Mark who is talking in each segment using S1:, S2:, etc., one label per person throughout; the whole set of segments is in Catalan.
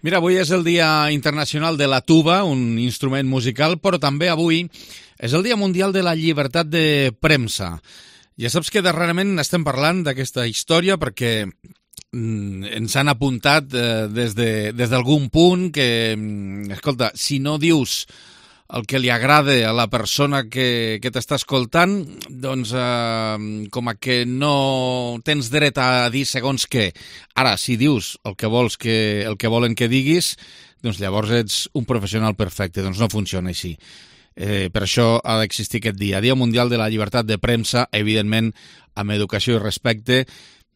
S1: Mira, avui és el Dia Internacional de la Tuba, un instrument musical, però també avui és el Dia Mundial de la Llibertat de Premsa. Ja saps que darrerament estem parlant d'aquesta història perquè ens han apuntat des d'algun punt que, escolta, si no dius el que li agrada a la persona que t'està escoltant, doncs com a que no tens dret a dir segons què. Ara, si dius el que volen que diguis, doncs llavors ets un professional perfecte. Doncs no funciona així. Per això ha d'existir aquest dia. Dia Mundial de la Llibertat de Premsa, evidentment, amb educació i respecte.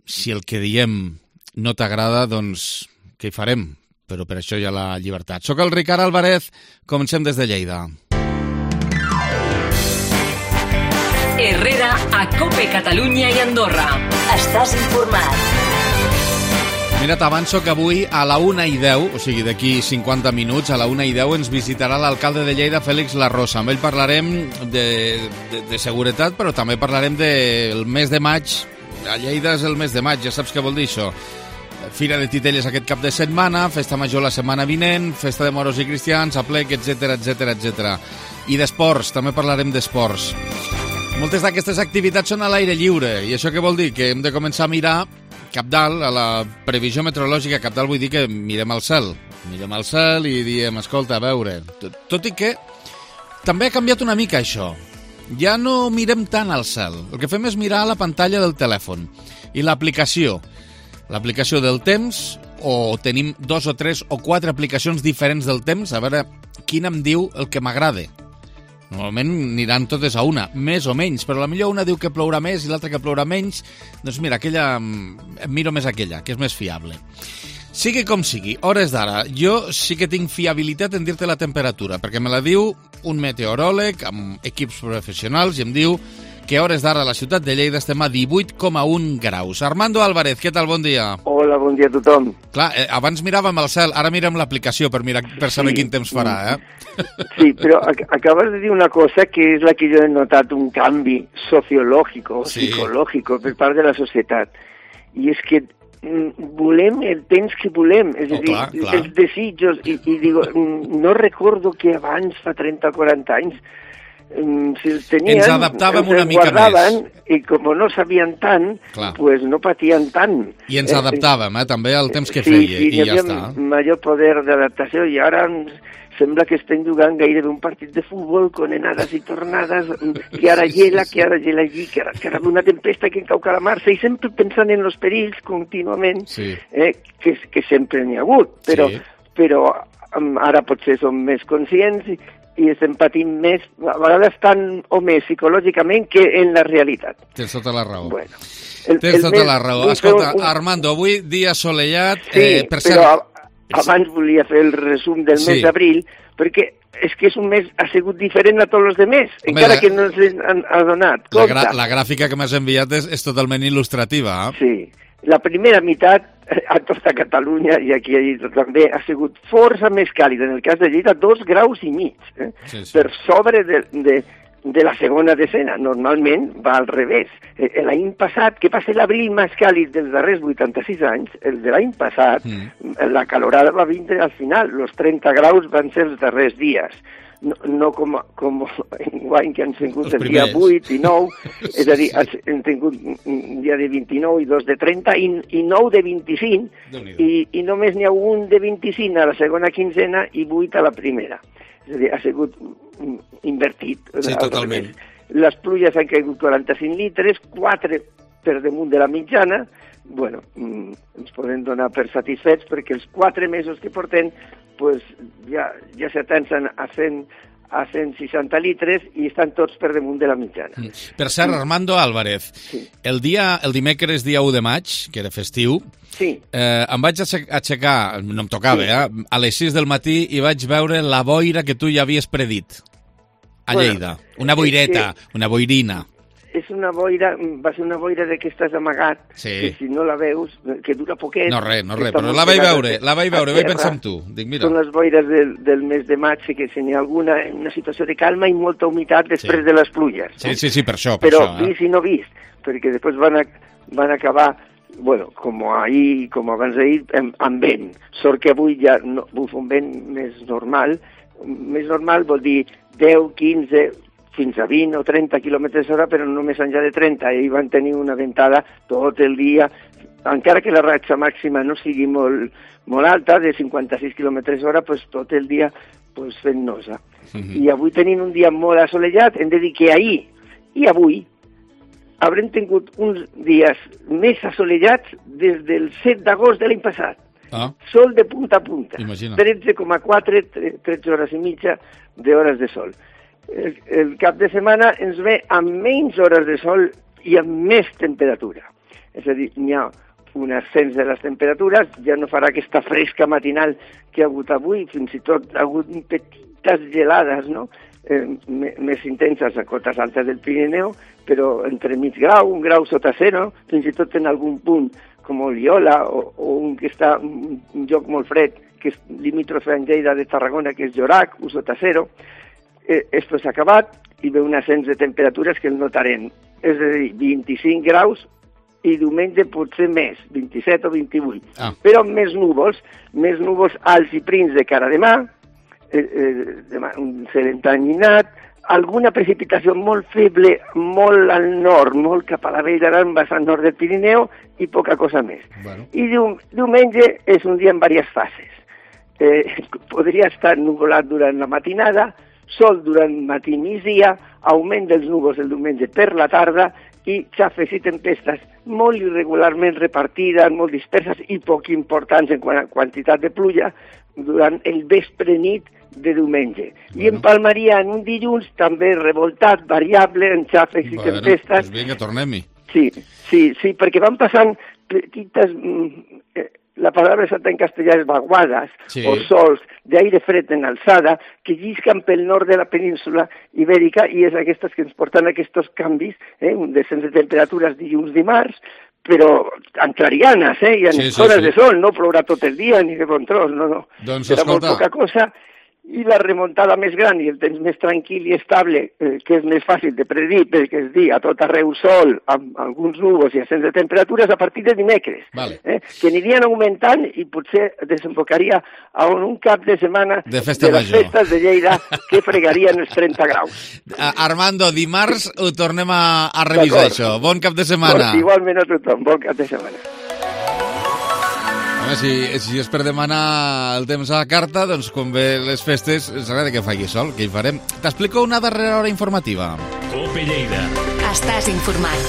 S1: Si el que diem no t'agrada, doncs què hi farem? Però per això hi ha la llibertat. Soc el Ricard Álvarez, comencem des de Lleida.
S2: Herrera, a COPE Catalunya i Andorra. Estàs informat.
S1: Mira, t'avanço que avui a la 1:10, o sigui d'aquí 50 minuts, a la 1:10 ens visitarà l'alcalde de Lleida, Fèlix Larrosa. Amb ell parlarem de seguretat, però també parlarem del mes de maig. A Lleida és el mes de maig, ja saps què vol dir això. Fira de Titelles aquest cap de setmana, festa major la setmana vinent, festa de moros i cristians, aplec, etc. I d'esports, també parlarem d'esports. Moltes d'aquestes activitats són a l'aire lliure, i això què vol dir? Que hem de començar a mirar cap dalt, a la previsió meteorològica. Cap dalt vull dir que mirem al cel. Mirem al cel i diem, escolta, a veure. Tot i que també ha canviat una mica això. Ja no mirem tant al cel. El que fem és mirar a la pantalla del telèfon. I l'aplicació del temps, o tenim 2 o 3 o 4 aplicacions diferents del temps, a veure quina em diu el que m'agrada. Normalment aniran totes a una, més o menys, però potser una diu que plourà més i l'altra que plourà menys. Doncs mira, aquella, em miro més aquella, que és més fiable. Sigui com sigui, hores d'ara, jo sí que tinc fiabilitat en dir-te la temperatura, perquè me la diu un meteoròleg amb equips professionals i em diu que a hores d'ara a la ciutat de Lleida estem a 18,1 graus. Armando Álvarez, què tal? Bon dia.
S3: Hola, bon dia a tothom.
S1: Clar, abans miràvem el cel, ara mirem l'aplicació per saber quin temps farà, eh?
S3: Sí, però acabas de dir una cosa que és la que jo he notat, un canvi sociològic, psicològic per part de la societat. I és que volem el temps que volem, és a dir, els desitjos, i digo, no recordo que abans, fa 30 o 40 anys, si els tenien,
S1: ens adaptàvem una mica
S3: guardaven, més. I com no sabien tant, pues no patien tant.
S1: I ens adaptàvem, també al temps que feia, i ja està.
S3: Major poder d'adaptació, i ara sembla que estem jugant gairebé un partit de futbol con anades i tornades, que ara gela allí, que ara una tempesta que cau calamar-se, i sempre pensant en els perills contínuament, que sempre n'hi ha hagut, però ara potser som més conscients i estem patint més, a vegades tant o més psicològicament que en la realitat.
S1: Tens tota la raó. Bueno, Tens tota la raó. Escolta, Armando, avui dia assolellat...
S3: Sí, però abans volia fer el resum del mes d'abril, perquè és que és un mes ha sigut diferent a tots els altres, encara que no ens han adonat.
S1: La gràfica que m'has enviat és totalment il·lustrativa.
S3: Sí. La primera meitat a tota Catalunya i aquí a Lleida també ha sigut força més càlida. En el cas de Lleida, 2,5 graus, per sobre de la segona decena. Normalment va al revés. L'any passat, que va ser l'abril més càlid dels darrers 86 anys, el de l'any passat, la calorada va vindre al final. Els 30 graus van ser els darrers dies. No com enguany que han tingut el dia 8 i 9, és a dir, han tingut un dia de 29 i 2 de 30 i 9 de 25, i només n'hi ha un de 25 a la segona quinzena i 8 a la primera. És a dir, ha sigut invertit.
S1: Sí, totalment.
S3: Les pluges han caigut 45 litres, 4 per damunt de la mitjana. Bueno, ens podem donar per satisfets perquè els 4 mesos que portem pues ja s'atensen a 160 litres i estan tots per damunt de la mitjana.
S1: Per cert, Armando Álvarez, el dimecres dia 1 de maig, que era festiu, em vaig aixecar, no em tocava, a les 6 del matí i vaig veure la boira que tu ja havies predit a Lleida. Una boireta, una boirina.
S3: És una boira, va ser una boira de que estàs amagat, que si no la veus, que dura poquet.
S1: No res, però la vaig veure, vaig pensar en tu. Dic, mira.
S3: Són les boires del mes de maig, que si n'hi ha alguna, una situació de calma i molta humitat després de les pluges.
S1: Sí, per això.
S3: Però vist i no vist, perquè després van acabar bueno, com ahir, com abans d'ahir, amb vent. Sort que avui ja no, bufa un vent més normal. Més normal vol dir 10, 15, fins a 20 o 30 quilòmetres hora, però no més enllà de 30. Ahir van tenir una ventada tot el dia, encara que la ratxa màxima no sigui molt alta, de 56 quilòmetres hora, pues, tot el dia pues, fent nosa. I avui tenint un dia molt assolellat, hem de dir que ahir i avui haurem tingut uns dies més assolellats des del 7 d'agost de l'any passat. Sol de punta a punta. 13,4, 13 hores i mitja d'hores de sol. El cap de setmana ens ve amb menys hores de sol i amb més temperatura. És a dir, n'hi ha un ascens de les temperatures, ja no farà aquesta fresca matinal que ha hagut avui, fins i tot ha hagut petites gelades, no?, més intenses a cotes altes del Pirineu, però entre mig grau, 1 grau sota zero, fins i tot en algun punt com Oliola o un que està en un lloc molt fred, que és limítrofe en Lleida de Tarragona, que és Llorac, 1 sota zero. Esto s'ha acabat i ve un ascens de temperatures que el notarem. És a dir, 25 graus i diumenge potser més, 27 o 28. Però amb més núvols alts i prims de cara a demà, un cel entanyinat, alguna precipitació molt feble, molt al nord, molt cap a la Vall d'Aran, vessant nord del Pirineu, i poca cosa més. Bueno. I diumenge és un dia en diverses fases. Podria estar nuvolat durant la matinada, sol durant matí i migdia, augment dels núvols el diumenge per la tarda i xafes i tempestes molt irregularment repartides, molt disperses i poc importants en quantitat de pluja durant el vespre nit de diumenge. Bueno. I empalmaria en un dilluns també revoltat, variable, en xafes i tempestes.
S1: Pues vinga, tornem-hi.
S3: Sí, perquè van passant petites... La paraula exacta en castellà és vaguades, o sols d'aire fred en alçada, que llisquen pel nord de la península ibèrica i és aquestes que ens porten aquests canvis, un descens de temperatures dilluns-dimarts, però en clarianes, i en hores de sol, no plourà tot el dia ni de bon tros, no.
S1: Doncs
S3: serà molt poca cosa. I la remuntada més gran i el temps més tranquil i estable, que és més fàcil de predir, perquè es dir a tot arreu sol, amb alguns núvols i ascens de temperatures a partir de dimecres, que anirien augmentant i potser desembocaria a un cap de setmana de les festes de Lleida que fregarien els 30 graus.
S1: Armando, dimarts ho tornem a revisar això. Bon cap de setmana.
S3: Igualment a tothom, bon cap de setmana.
S1: Home, si és per demanar el temps a la carta, doncs quan ve les festes ens agrada que faci sol, que hi farem. T'explico una darrera hora informativa.
S2: Cope Lleida. Estàs informat.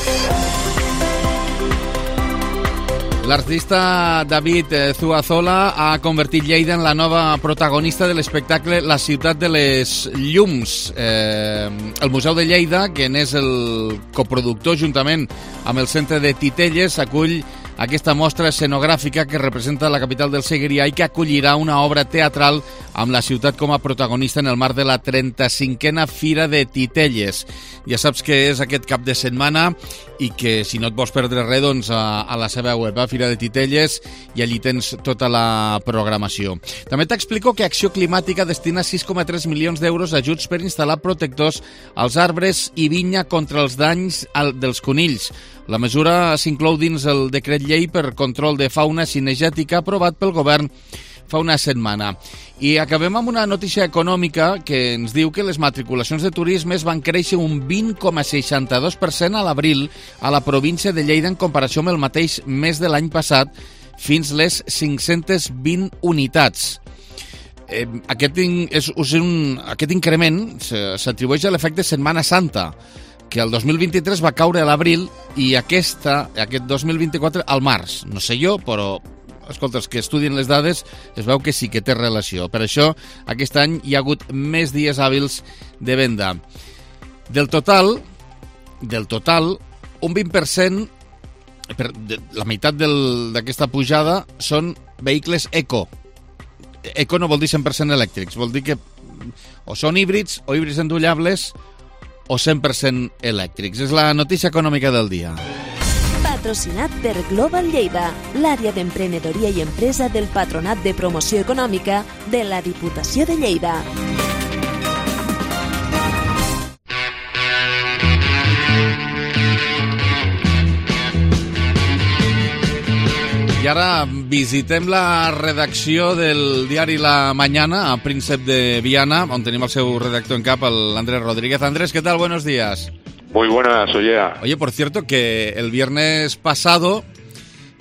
S1: L'artista David Zuazola ha convertit Lleida en la nova protagonista de l'espectacle La ciutat de les llums. El Museu de Lleida, que n'és el coproductor juntament amb el Centre de Titelles, acull aquesta mostra escenogràfica que representa la capital del Segrià i que acollirà una obra teatral amb la ciutat com a protagonista en el marc de la 35a Fira de Titelles. Ja saps que és aquest cap de setmana i que si no et vols perdre res, doncs a la seva web, Fira de Titelles, i allí tens tota la programació. També t'explico que Acció Climàtica destina 6,3 milions d'euros a ajuts per instal·lar protectors als arbres i vinya contra els danys dels conills. La mesura s'inclou dins el decret llei per control de fauna cinegètica aprovat pel govern fa una setmana. I acabem amb una notícia econòmica que ens diu que les matriculacions de turisme van créixer un 20,62% a l'abril a la província de Lleida en comparació amb el mateix mes de l'any passat, fins les 520 unitats. Aquest increment s'atribueix a l'efecte Setmana Santa, que el 2023 va caure a l'abril i aquest 2024 al març. No sé jo, però escolta, els que estudien les dades es veu que sí que té relació. Per això, aquest any hi ha hagut més dies hàbils de venda. Del total, un 20%, la meitat d'aquesta pujada són vehicles eco. Eco no vol dir 100% elèctrics, vol dir que o són híbrids o híbrids endollables o 100% elèctrics. És la notícia econòmica del dia.
S4: Patrocinat per Global Lleida, l'àrea d'emprenedoria i empresa del Patronat de Promoció Econòmica de la Diputació de Lleida.
S1: I ara visitem la redacció del diari La Mañana, a Príncep de Viana, on tenim el seu redactor en cap, l'Andrés Rodríguez. Andrés, ¿qué tal? Buenos días.
S5: Muy buenas, oye.
S1: Oye, por cierto, que el viernes pasado,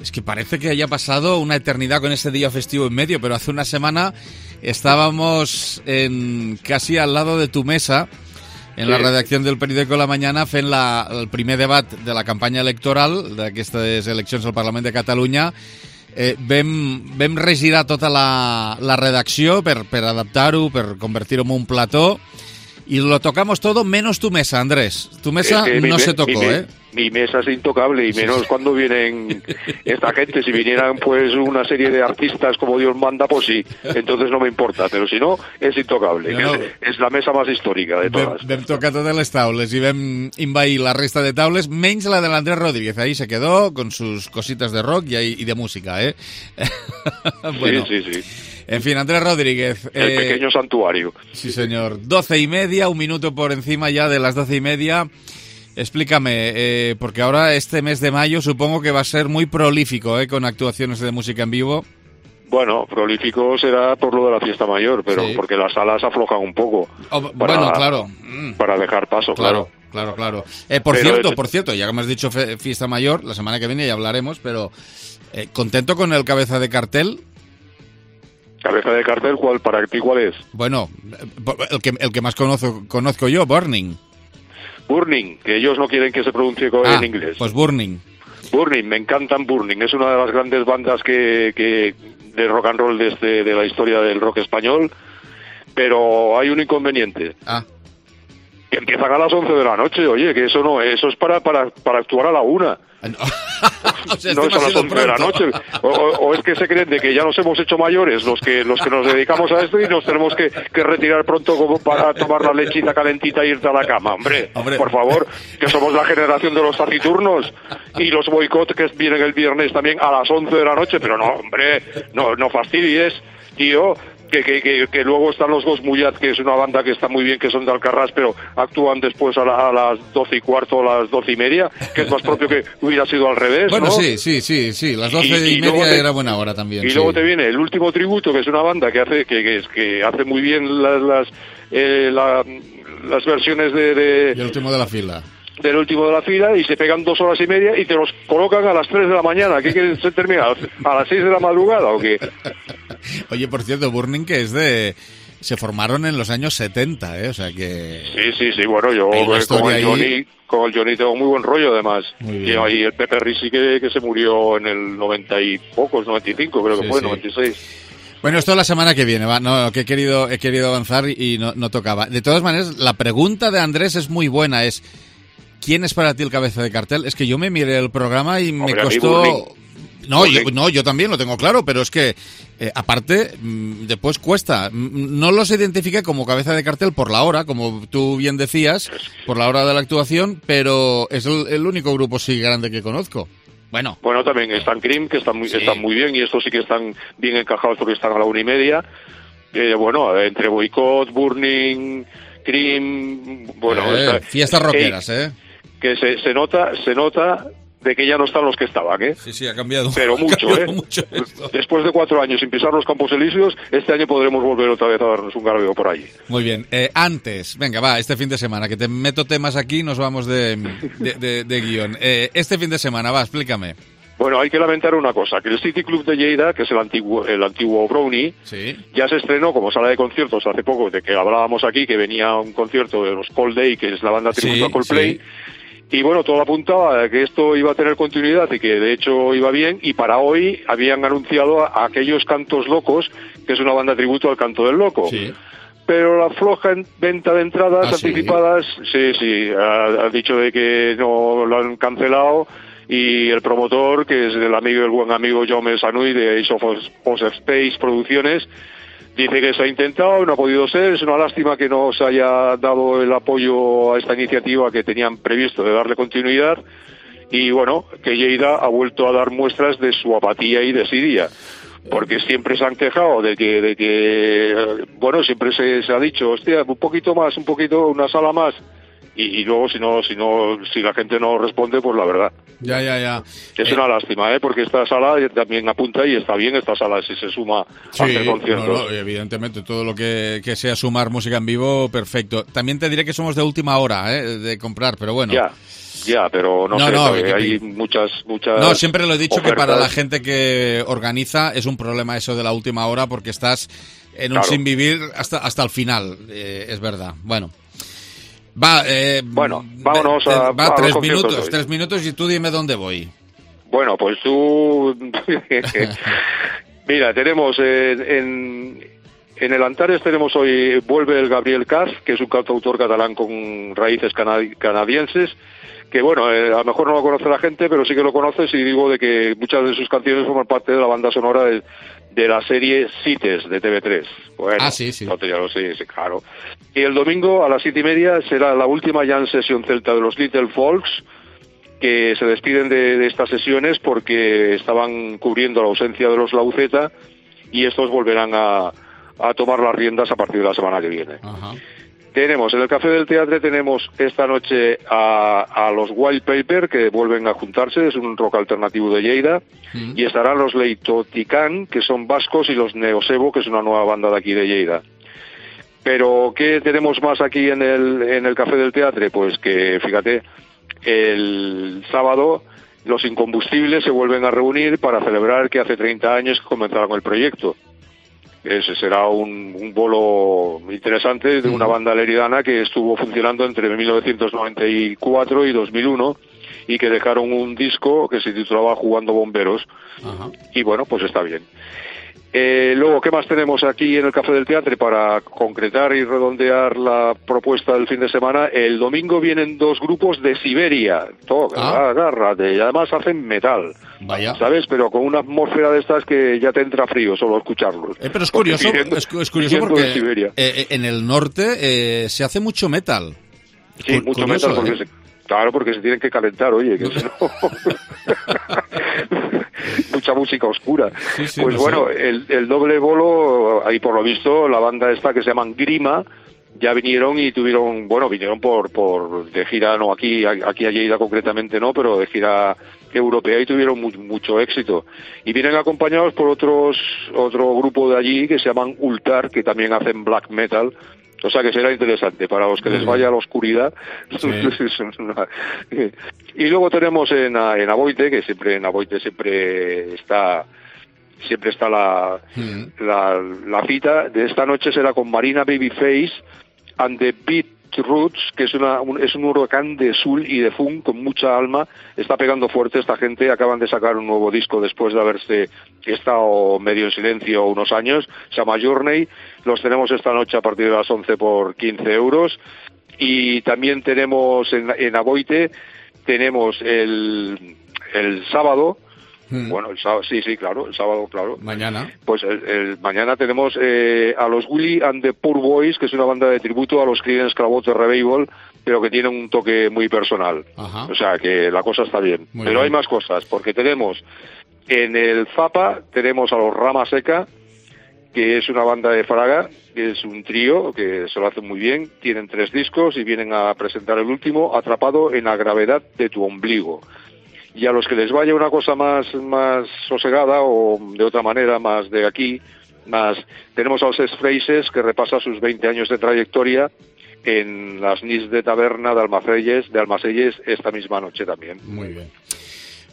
S1: es que parece que haya pasado una eternidad con ese día festivo en medio, pero hace una semana estábamos casi al lado de tu mesa, en la redacció del periòdico La Mañana, fent el primer debat de la campanya electoral d'aquestes eleccions al Parlament de Catalunya. Vam regirar tota la redacció per adaptar-ho, per convertir-ho en un plató, y lo tocamos todo menos tu mesa, Andrés. Tu mesa no se tocó, ¿eh?
S5: Mi mesa es intocable, y menos cuando vienen esta gente. Si vinieran pues una serie de artistas como Dios manda, pues sí, entonces no me importa, pero si no, es intocable. No. És la mesa més històrica de totes.
S1: Vam tocar totes les taules i vam invair la resta de taules, menys la de l'Andrés Rodríguez. Ahí se quedó con sus cositas de rock y de música, ¿eh?
S5: Bueno. Sí.
S1: En fin, Andrés Rodríguez.
S5: El pequeño santuario.
S1: Sí, señor. 12:30, un minuto por encima ya de las 12:30. Explícame, porque ahora este mes de mayo supongo que va a ser muy prolífico, con actuaciones de música en vivo.
S5: Bueno, prolífico será por lo de la fiesta mayor, pero sí, porque las salas aflojan un poco.
S1: Bueno, claro.
S5: Para dejar paso, claro.
S1: Por cierto, ya que me has dicho fiesta mayor, la semana que viene ya hablaremos, pero ¿contento con el cabeza de cartel?
S5: ¿Cabeza de cartel? ¿Para ti cuál es?
S1: Bueno, el que más conozco yo, Burning.
S5: Burning, que ellos no quieren que se pronuncie en inglés.
S1: Pues Burning.
S5: Burning, me encantan Burning. Es una de las grandes bandas que de rock and roll de la historia del rock español, pero hay un inconveniente. Que empiezan a las 11 de la noche, oye, que eso es para actuar a la 1.
S1: O sea,
S5: no es a las 11 de la noche. O es que se creen de que ya nos hemos hecho mayores los que nos dedicamos a esto y nos tenemos que retirar pronto como para tomar la lechita calentita e irte a la cama. Hombre, por favor, que somos la generación de los taciturnos y los boicot que vienen el viernes también a las 11 de la noche. Pero no, hombre, no fastidies, tío. Que luego están los Ghost Mullat, que es una banda que está muy bien, que son de Alcarrás, pero actúan después a las 12:15 o las 12:30, que es más propio que hubiera sido al revés,
S1: bueno,
S5: ¿no?
S1: Sí, las 12:30 era buena hora también.
S5: Y luego te viene el Último Tributo, que es una banda que hace muy bien las versiones de
S1: El último de la fila.
S5: Del último de la fila, y se pegan 2 horas y media y te los colocan a las 3 de la mañana. ¿Qué quieres se termina? ¿A las 6 de la madrugada o qué?
S1: Oye, por cierto, Burning, que se formaron en los años 70, ¿eh? O sea que...
S5: Sí, bueno, yo con el Johnny tengo muy buen rollo, además. Y el Pepe Risi que se murió en el 90 y pocos, 95 creo que fue, 96.
S1: Bueno, esto la semana que viene, que he querido avanzar y no tocaba. De todas maneras, la pregunta de Andrés es muy buena, ¿quién es para ti el cabeza de cartel? Es que yo me miré el programa y me costó... Yo también lo tengo claro, pero es que, aparte, después cuesta. No los identifica como cabeza de cartel por la hora, como tú bien decías, por la hora de la actuación, pero es el único grupo sí grande que conozco. Bueno,
S5: también están Cream, que están muy bien, y estos sí que están bien encajados porque están a la 1:30. Entre Boicot, Burning, Cream...
S1: fiestas rockeras,
S5: que se nota de que ya no están los que estaban,
S1: Sí, ha cambiado.
S5: Pero mucho,
S1: mucho
S5: Después de 4 años sin pisar los Campos Elíseos, este año podremos volver otra vez a darnos un garbeo por allí.
S1: Muy bien. Antes, venga, este fin de semana, que te meto temas aquí, nos vamos de guión. Este fin de semana, explícame.
S5: Bueno, hay que lamentar una cosa, que el City Club de Lleida, que es el antiguo Brownie, ya se estrenó como sala de conciertos hace poco, de que hablábamos aquí, que venía un concierto de los Cold Day, que es la banda tributo a Coldplay. Y bueno, todo apuntaba a que esto iba a tener continuidad y que de hecho iba bien, y para hoy habían anunciado a aquellos Cantos Locos, que es una banda tributo al Canto del Loco. Pero la floja venta de entradas anticipadas, ha dicho de que no lo han cancelado, y el promotor, que es el buen amigo Jaume Sanui de Ace of Space Producciones, dice que se ha intentado, no ha podido ser. Es una lástima que no se haya dado el apoyo a esta iniciativa que tenían previsto de darle continuidad, y bueno, que Lleida ha vuelto a dar muestras de su apatía y desidia, porque siempre se han quejado de que siempre se ha dicho, hostia, una sala más, y luego si la gente no responde, pues la verdad.
S1: Ya.
S5: Es una lástima, porque esta sala también apunta y está bien esta sala si se suma a hacer conciertos.
S1: No, evidentemente, todo lo que sea sumar música en vivo, perfecto. También te diré que somos de última hora de comprar, pero bueno.
S5: Ya, pero no sé, hay muchas
S1: No, siempre lo he dicho,
S5: ofertas.
S1: que para la gente que organiza es un problema eso de la última hora, porque estás en un sin vivir hasta el final, es verdad. Bueno.
S5: Vámonos a
S1: 3 minutos y tú dime dónde voy.
S5: Bueno, pues tú... Mira, tenemos en el Antares tenemos hoy, vuelve el Gabriel Caz, que es un cantautor catalán con raíces canadienses, que bueno, a lo mejor no lo conoce la gente, pero sí que lo conoces, y digo de que muchas de sus canciones forman parte de la banda sonora de la serie CITES de TV3. Bueno,
S1: sí.
S5: Sí, claro. Y el domingo a las 7:30 será la última jam session celta de los Little Folks, que se despiden de estas sesiones porque estaban cubriendo la ausencia de los Lauceta, y estos volverán a tomar las riendas a partir de la semana que viene.
S1: Ajá.
S5: Tenemos en el Café del Teatre, tenemos esta noche a los Wild Paper, que vuelven a juntarse, es un rock alternativo de Lleida, y estarán los Leitoticán, que son vascos, y los Neosebo, que es una nueva banda de aquí de Lleida. Pero, ¿qué tenemos más aquí en el Café del Teatre? Pues que, fíjate, el sábado los Incombustibles se vuelven a reunir para celebrar que hace 30 años que comenzaron el proyecto. Ese será un bolo interesante de una banda leridana que estuvo funcionando entre 1994 y 2001 y que dejaron un disco que se titulaba Jugando Bomberos.
S1: Ajá.
S5: Y bueno, pues está bien. Luego, ¿qué más tenemos aquí en el Café del Teatre para concretar y redondear la propuesta del fin de semana? El domingo vienen 2 grupos de Siberia. Agárrate, y además hacen metal.
S1: Vaya.
S5: ¿Sabes? Pero con una atmósfera de estas que ya te entra frío solo escucharlos.
S1: Pero es curioso, es curioso porque en el norte se hace mucho metal.
S5: Sí, mucho metal porque claro, porque se tienen que calentar, oye, que si no... mucha música oscura.
S1: Sí,
S5: pues bueno, el doble bolo, ahí por lo visto, la banda esta que se llaman Grima, ya vinieron y vinieron por de gira, no aquí a Lleida concretamente no, pero de gira europea, y tuvieron mucho éxito. Y vienen acompañados por otro grupo de allí que se llaman Ultar, que también hacen black metal. O sea que será interesante para los que les vaya a la oscuridad. Sí. Y luego tenemos en Aboite, que siempre está la cita de esta noche, será con Marina Babyface and the Beatroots, que es un huracán de soul y de funk con mucha alma. Está pegando fuerte esta gente, acaban de sacar un nuevo disco después de haberse estado medio en silencio unos años, se llama Journey. Los tenemos esta noche a partir de las 11 por 15 euros. Y también tenemos en Aboite, tenemos el sábado. Bueno, el sábado, sí, claro, el sábado, claro.
S1: Mañana.
S5: Pues mañana tenemos a los Willy and the Poor Boys, que es una banda de tributo a los Creedence Clearwater Revival, pero que tiene un toque muy personal.
S1: Ajá.
S5: O sea, que la cosa está bien.
S1: Muy
S5: pero
S1: bien.
S5: Hay más cosas, porque tenemos en el Zapa, tenemos a los Rama Seca, que es una banda de Fraga, que es un trío que se lo hace muy bien, tienen 3 discos y vienen a presentar el último, Atrapado en la gravedad de tu ombligo. Y a los que les vaya una cosa más sosegada, o de otra manera, más de aquí, tenemos a los Phrases, que repasa sus 20 años de trayectoria en las NIS de Taberna de Almacelles esta misma noche también.
S1: Muy bien.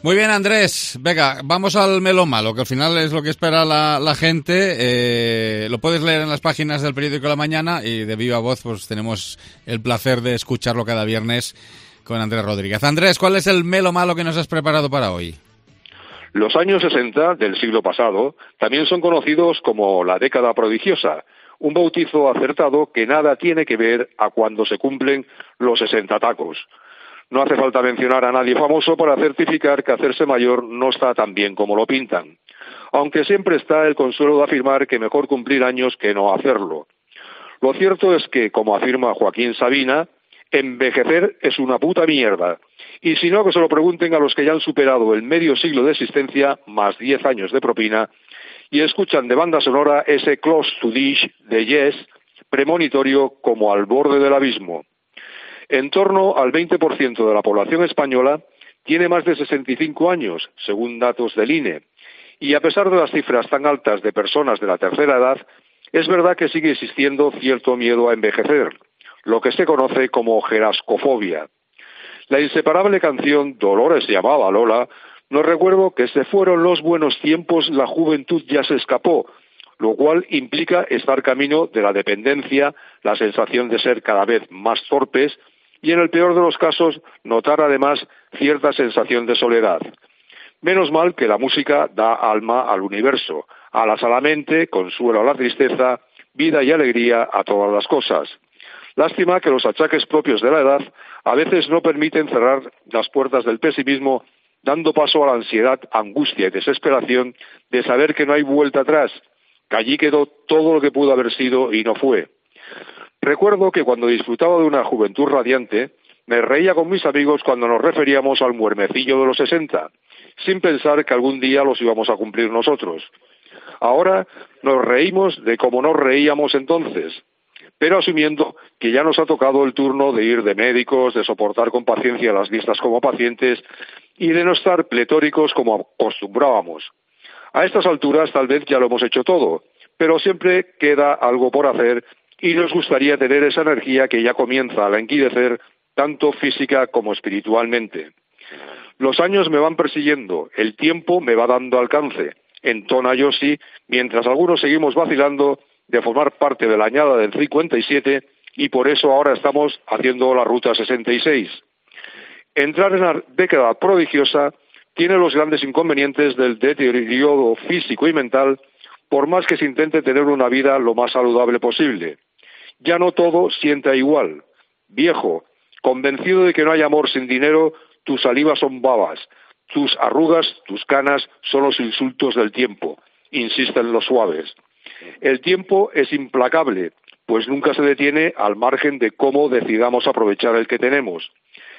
S1: Muy bien, Andrés. Venga, vamos al Melo Malo, que al final es lo que espera la gente. Lo puedes leer en las páginas del periódico La Mañana, y de viva voz pues tenemos el placer de escucharlo cada viernes con Andrés Rodríguez. Andrés, ¿cuál es el Melo Malo que nos has preparado para hoy?
S5: Los años 60 del siglo pasado también son conocidos como la década prodigiosa, un bautizo acertado que nada tiene que ver a cuando se cumplen los 60 tacos. No hace falta mencionar a nadie famoso para certificar que hacerse mayor no está tan bien como lo pintan, aunque siempre está el consuelo de afirmar que mejor cumplir años que no hacerlo. Lo cierto es que, como afirma Joaquín Sabina, envejecer es una puta mierda. Y si no, que se lo pregunten a los que ya han superado el medio siglo de existencia, más 10 años de propina, y escuchan de banda sonora ese Close to Dish de Yes, premonitorio como al borde del abismo. En torno al 20% de la población española tiene más de 65 años, según datos del INE. Y a pesar de las cifras tan altas de personas de la tercera edad, es verdad que sigue existiendo cierto miedo a envejecer, lo que se conoce como gerascofobia. La inseparable canción Dolores llamaba a Lola nos recuerda que se fueron los buenos tiempos, la juventud ya se escapó, lo cual implica estar camino de la dependencia, la sensación de ser cada vez más torpes y en el peor de los casos notar además cierta sensación de soledad. Menos mal que la música da alma al universo, alas a la mente, consuelo a la tristeza, vida y alegría a todas las cosas. Lástima que los achaques propios de la edad a veces no permiten cerrar las puertas del pesimismo, dando paso a la ansiedad, angustia y desesperación de saber que no hay vuelta atrás, que allí quedó todo lo que pudo haber sido y no fue. Recuerdo que cuando disfrutaba de una juventud radiante, me reía con mis amigos cuando nos referíamos al muermecillo de los 60, sin pensar que algún día los íbamos a cumplir nosotros. Ahora nos reímos de cómo nos reíamos entonces, pero asumiendo que ya nos ha tocado el turno de ir de médicos, de soportar con paciencia las vistas como pacientes y de no estar pletóricos como acostumbrábamos. A estas alturas tal vez ya lo hemos hecho todo, pero siempre queda algo por hacer y nos gustaría tener esa energía que ya comienza a languidecer tanto física como espiritualmente. Los años me van persiguiendo, el tiempo me va dando alcance, entona Yossi, mientras algunos seguimos vacilando de formar parte de la añada del 57 y por eso ahora estamos haciendo la Ruta 66. Entrar en la década prodigiosa tiene los grandes inconvenientes del deterioro físico y mental, por más que se intente tener una vida lo más saludable posible. Ya no todo sienta igual. Viejo, convencido de que no hay amor sin dinero, tus salivas son babas, tus arrugas, tus canas son los insultos del tiempo, insisten los suaves. El tiempo es implacable, pues nunca se detiene al margen de cómo decidamos aprovechar el que tenemos.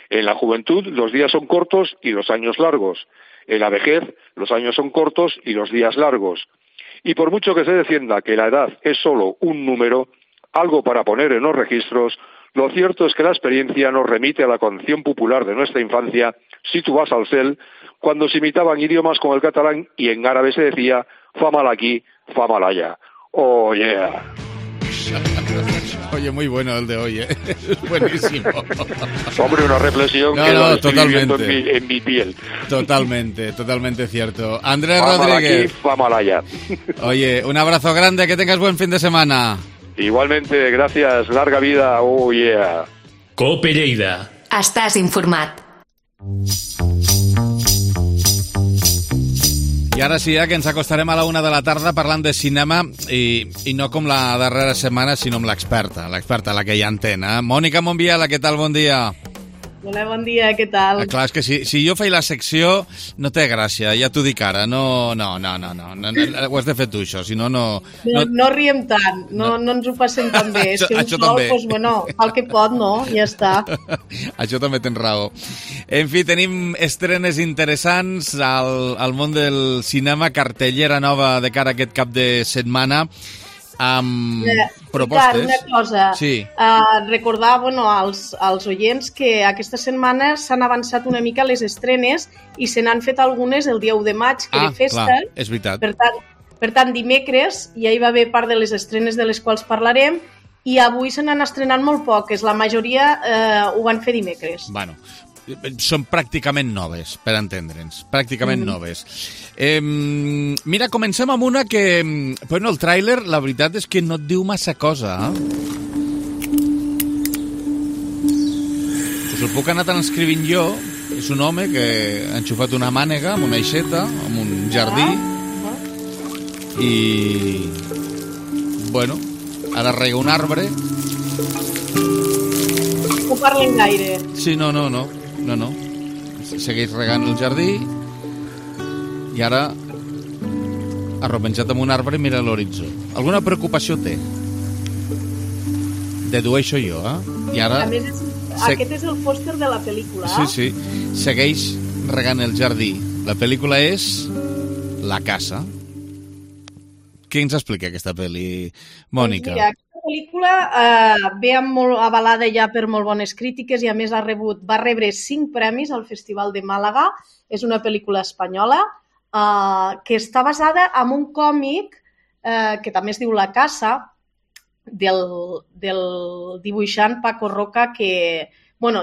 S5: En la juventud los días son cortos y los años largos. En la vejez los años son cortos y los días largos. Y por mucho que se defienda que la edad es solo un número, algo para poner en los registros, lo cierto es que la experiencia nos remite a la canción popular de nuestra infancia, Si tu vas al cel, cuando se imitaban idiomas como el catalán y en árabe se decía fa mal aquí, fa mal allá. Oh yeah.
S1: Oye, muy bueno el de hoy, ¿eh? Es buenísimo.
S5: Hombre, una reflexión que lo estoy viviendo en mi piel.
S1: Totalmente cierto. Andrés
S5: fa
S1: Rodríguez.
S5: Aquí, fa mal allá.
S1: Oye, un abrazo grande, que tengas buen fin de semana. Igualmente,
S5: gracias, larga vida, oh yeah.
S2: COPE Lleida. Estàs informat.
S1: I ara sí, que ens acostarem a la 1 de la tarda parlant de cinema i no com la darrera setmana, sinó amb l'experta, la que ja entén. Mònica Monbiela, què tal? Bon dia.
S6: Hola, bon dia, què tal?
S1: Clar, és que si jo faig la secció no té gràcia, ja t'ho dic ara, no, ho has de fer tu, això, si no...
S6: No riem tant, no ens ho passem tan bé, és que un sol, doncs, bueno, fa el que pot, no? Ja està.
S1: Això també tens raó. En fi, tenim estrenes interessants al món del cinema, cartellera nova de cara a aquest cap de setmana, amb propostes.
S6: Una cosa,
S1: sí.
S6: Recordar als oients que aquesta setmana s'han avançat una mica les estrenes i se n'han fet algunes el dia 1 de maig, que era festa.
S1: Clar, és veritat.
S6: Per tant, dimecres ja hi va haver part de les estrenes de les quals parlarem i avui se n'han estrenat molt poques. La majoria ho van fer dimecres.
S1: Bueno, són pràcticament noves, per entendre'ns. Pràcticament noves. Mira, comencem amb una que... Bueno, el tràiler, la veritat és que no et diu massa cosa. Us el puc anar transcrivint jo. És un home que ha enxufat una mànega amb una aixeta, amb un jardí. I... Bueno, ara rega un arbre.
S6: No parlen gaire.
S1: Sí, no. Segueix regant el jardí i ara arropenjat amb un arbre i mira l'horitzó. Alguna preocupació té? Dedueixo jo, I ara...
S6: A més, aquest és el pòster de la pel·lícula.
S1: Sí. Segueix regant el jardí. La pel·lícula és La casa. Què ens explica aquesta pel·li, Mònica?
S6: Mira, pel·lícula ve molt avalada ja per molt bones crítiques i a més va rebre 5 premis al Festival de Màlaga. És una pel·lícula espanyola que està basada en un còmic que també es diu La Casa, del dibuixant Paco Roca, que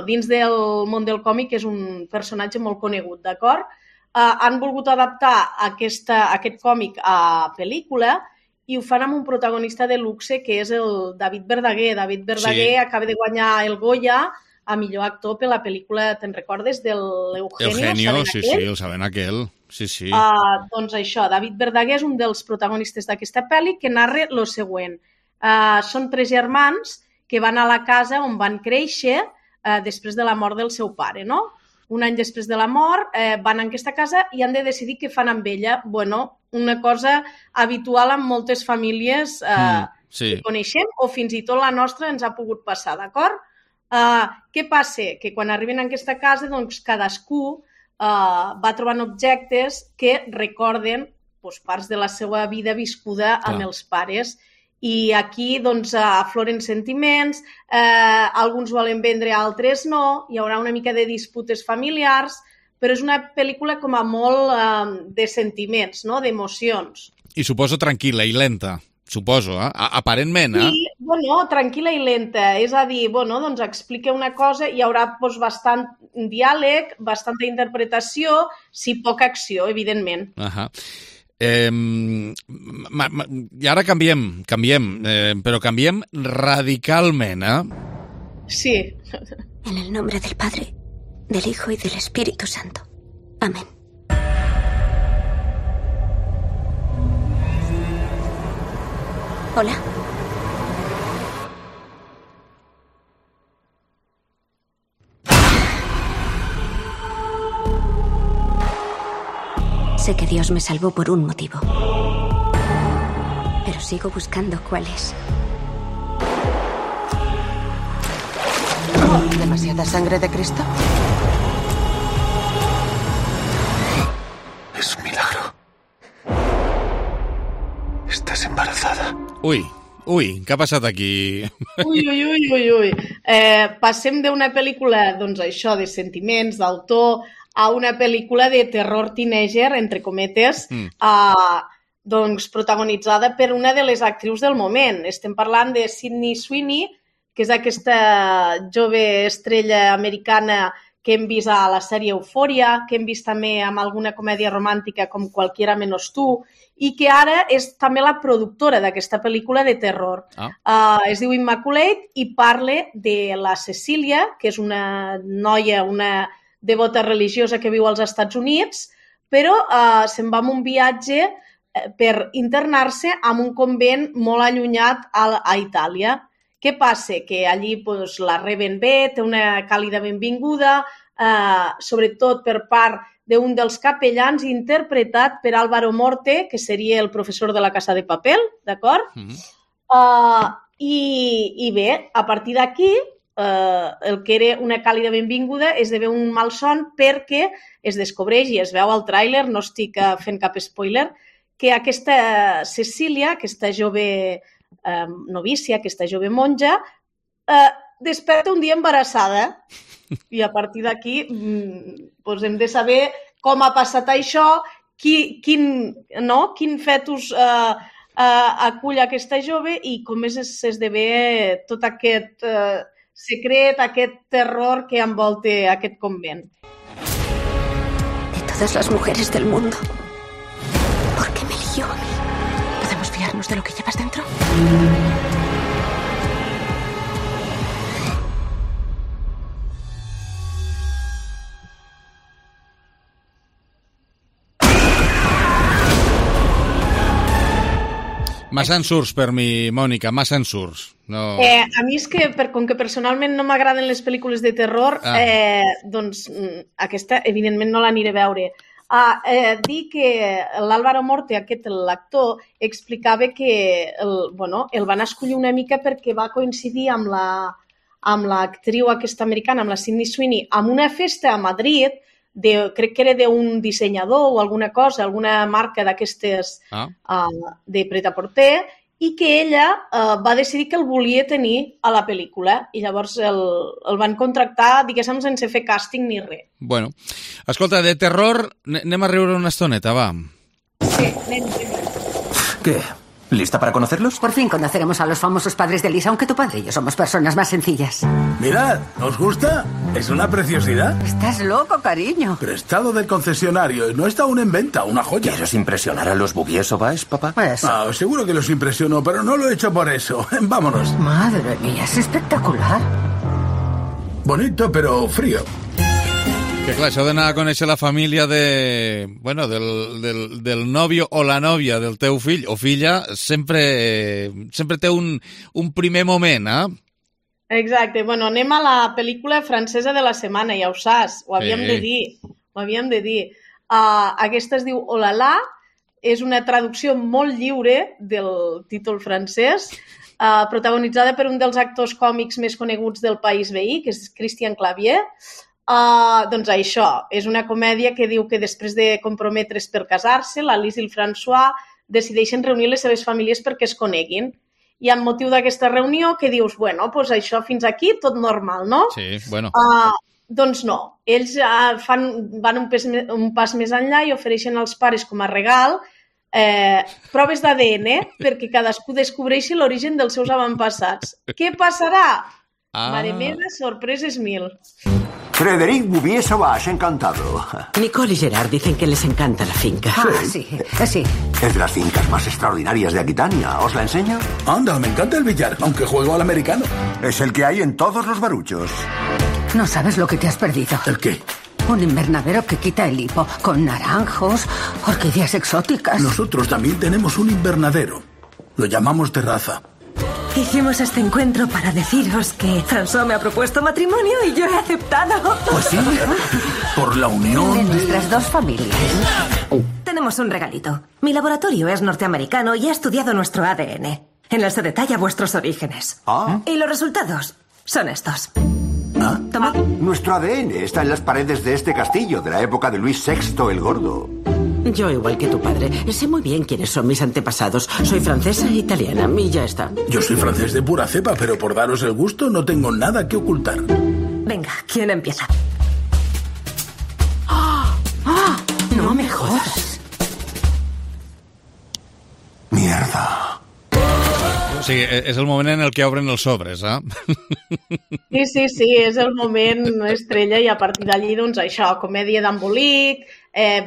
S6: dins del món del còmic és un personatge molt conegut, d'acord? Han volgut adaptar aquest còmic a pel·lícula i ho fan amb un protagonista de luxe que és el David Verdaguer. David Verdaguer acaba de guanyar el Goya a millor actor per la pel·lícula, te'n recordes, del
S1: Eugenio, sí, el Saben aquell. Sí.
S6: Doncs això, David Verdaguer és un dels protagonistes d'aquesta pel·li que narra el següent. Són 3 germans que van a la casa on van créixer després de la mort del seu pare, no? Un any després de la mort van a aquesta casa i han de decidir què fan amb ella. Una cosa habitual en moltes famílies que coneixem o fins i tot la nostra ens ha pogut passar, d'acord? Què passa? Que quan arriben a aquesta casa, doncs cadascú va trobant objectes que recorden parts de la seva vida viscuda amb els pares. I aquí afloren sentiments, alguns volen vendre, altres no, hi haurà una mica de disputes familiars, però és una pel·lícula com a molt de sentiments, d'emocions.
S1: I suposo tranquil·la i lenta, suposo, aparentment.
S6: Sí, tranquil·la i lenta, és a dir, explica una cosa, hi haurà bastant diàleg, bastanta interpretació, sí, poca acció, evidentment.
S1: I ara canviem, però canviem radicalment,
S6: Sí.
S7: En el nombre del Padre, del Hijo y del Espíritu Santo. Amén. Hola. Sé que Dios me salvó por un motivo, pero sigo buscando cuál es.
S8: ¿Demasiada sangre de Cristo?
S9: Es un milagro. Estás embarazada.
S1: Ui, què ha passat aquí?
S6: Ui. Passem d'una pel·lícula, això, de sentiments, d'autor, a una pel·lícula de terror teenager, entre cometes, protagonitzada per una de les actrius del moment. Estem parlant de Sydney Sweeney, que és aquesta jove estrella americana que hem vist a la sèrie Eufòria, que hem vist també amb alguna comèdia romàntica com Cualquiera menos tú, i que ara és també la productora d'aquesta pel·lícula de terror. Es diu Immaculate i parla de la Cecília, que és una noia, una devota religiosa que viu als Estats Units, però se'n va en un viatge per internar-se en un convent molt allunyat a Itàlia. Què passa? Que allí la reben bé, té una càlida benvinguda, sobretot per part d'un dels capellans interpretat per Álvaro Morte, que seria el professor de La Casa de Papel, d'acord? I bé, a partir d'aquí, el que era una càlida benvinguda esdevé un malson perquè es descobreix i es veu al tràiler, no estic fent cap spoiler, que aquesta Cecília, aquesta jove novícia, aquesta jove monja, desperta un dia embarassada i a partir d'aquí hem de saber com ha passat això, quin fetus acull aquesta jove i com s'esdevé tot aquest secret, aquest terror que envolta aquest convent.
S7: De todas las mujeres del mundo, ¿por qué me eligió a mí? ¿Podemos fiarnos de lo que llevas dentro?
S1: Massa ensurts per mi, Mònica, massa ensurts. No...
S6: A mi és que, com que personalment no m'agraden les pel·lícules de terror, doncs aquesta, evidentment, no l'aniré a veure. Dir que l'Álvaro Morte, l'actor, explicava que el van escollir una mica perquè va coincidir amb l'actriu aquesta americana, amb la Sydney Sweeney, amb una festa a Madrid, crec que era d'un dissenyador o alguna cosa, alguna marca d'aquestes de pret-a-porter, i que ella va decidir que el volia tenir a la pel·lícula i llavors el van contractar, diguéssim, sense fer càsting ni res.
S1: Bueno, escolta, de terror, anem a riure una estoneta, va.
S6: Sí, anem.
S9: ¿Qué? ¿Lista para conocerlos?
S8: Por fin conoceremos a los famosos padres de Lisa, aunque tu padre y yo somos personas más sencillas.
S10: Mirad, ¿os gusta? Es una preciosidad.
S8: Estás loco, cariño.
S10: Prestado del concesionario. No está aún en venta, una joya.
S9: ¿Quieres impresionar a los Bouvier Sauvage, papá?
S10: Seguro que los impresionó, pero no lo he hecho por eso. Vámonos.
S8: Madre mía, es espectacular.
S10: Bonito, pero frío.
S1: Que clar, això d'anar a conèixer la família del nòvio o la nòvia del teu fill o filla sempre té un primer moment,
S6: Exacte. Bueno, anem a la pel·lícula francesa de la setmana, ja ho saps, ho havíem de dir. Aquesta es diu Oh la la, és una traducció molt lliure del títol francès, protagonitzada per un dels actors còmics més coneguts del país veí, que és Christian Clavier. Doncs això, és una comèdia que diu que després de comprometre's per casar-se, l'Alice i el François decideixen reunir les seves famílies perquè es coneguin. I amb motiu d'aquesta reunió que dius, bueno, doncs això fins aquí tot normal, no?
S1: Sí, bueno.
S6: Doncs no, ells van un pas més enllà i ofereixen als pares com a regal proves d'ADN perquè cadascú descobreixi l'origen dels seus avantpassats. Què passarà? Mare meva, sorpreses mil.
S11: Frédéric Bouvier Sauvage, encantado.
S12: Nicole y Gerard dicen que les encanta la finca.
S8: Sí.
S11: Es de las fincas más extraordinarias de Aquitania. ¿Os la enseño?
S10: Anda, me encanta el billar, aunque juego al americano.
S11: Es el que hay en todos los baruchos.
S8: No sabes lo que te has perdido.
S10: ¿El qué?
S8: Un invernadero que quita el hipo, con naranjos, orquídeas exóticas.
S10: Nosotros también tenemos un invernadero. Lo llamamos terraza.
S12: Hicimos este encuentro para deciros que François me ha propuesto matrimonio y yo he aceptado.
S10: Pues sí, por la unión
S8: de nuestras dos familias.
S12: Tenemos un regalito. Mi laboratorio es norteamericano y ha estudiado nuestro ADN. En él se detalla vuestros orígenes. Y los resultados son estos. Toma.
S11: Nuestro ADN está en las paredes de este castillo de la época de Luis VI el Gordo.
S12: Yo, igual que tu padre, sé muy bien quiénes son mis antepasados. Soy francesa e italiana y ya está.
S10: Yo soy francés de pura cepa, pero por daros el gusto no tengo nada que ocultar.
S12: Venga, ¿quién empieza? No me jodas.
S11: Mierda.
S1: Sí, és el moment en el que obren els sobres,
S6: Sí, és el moment estrella i a partir d'allí, doncs això, comèdia d'embolic,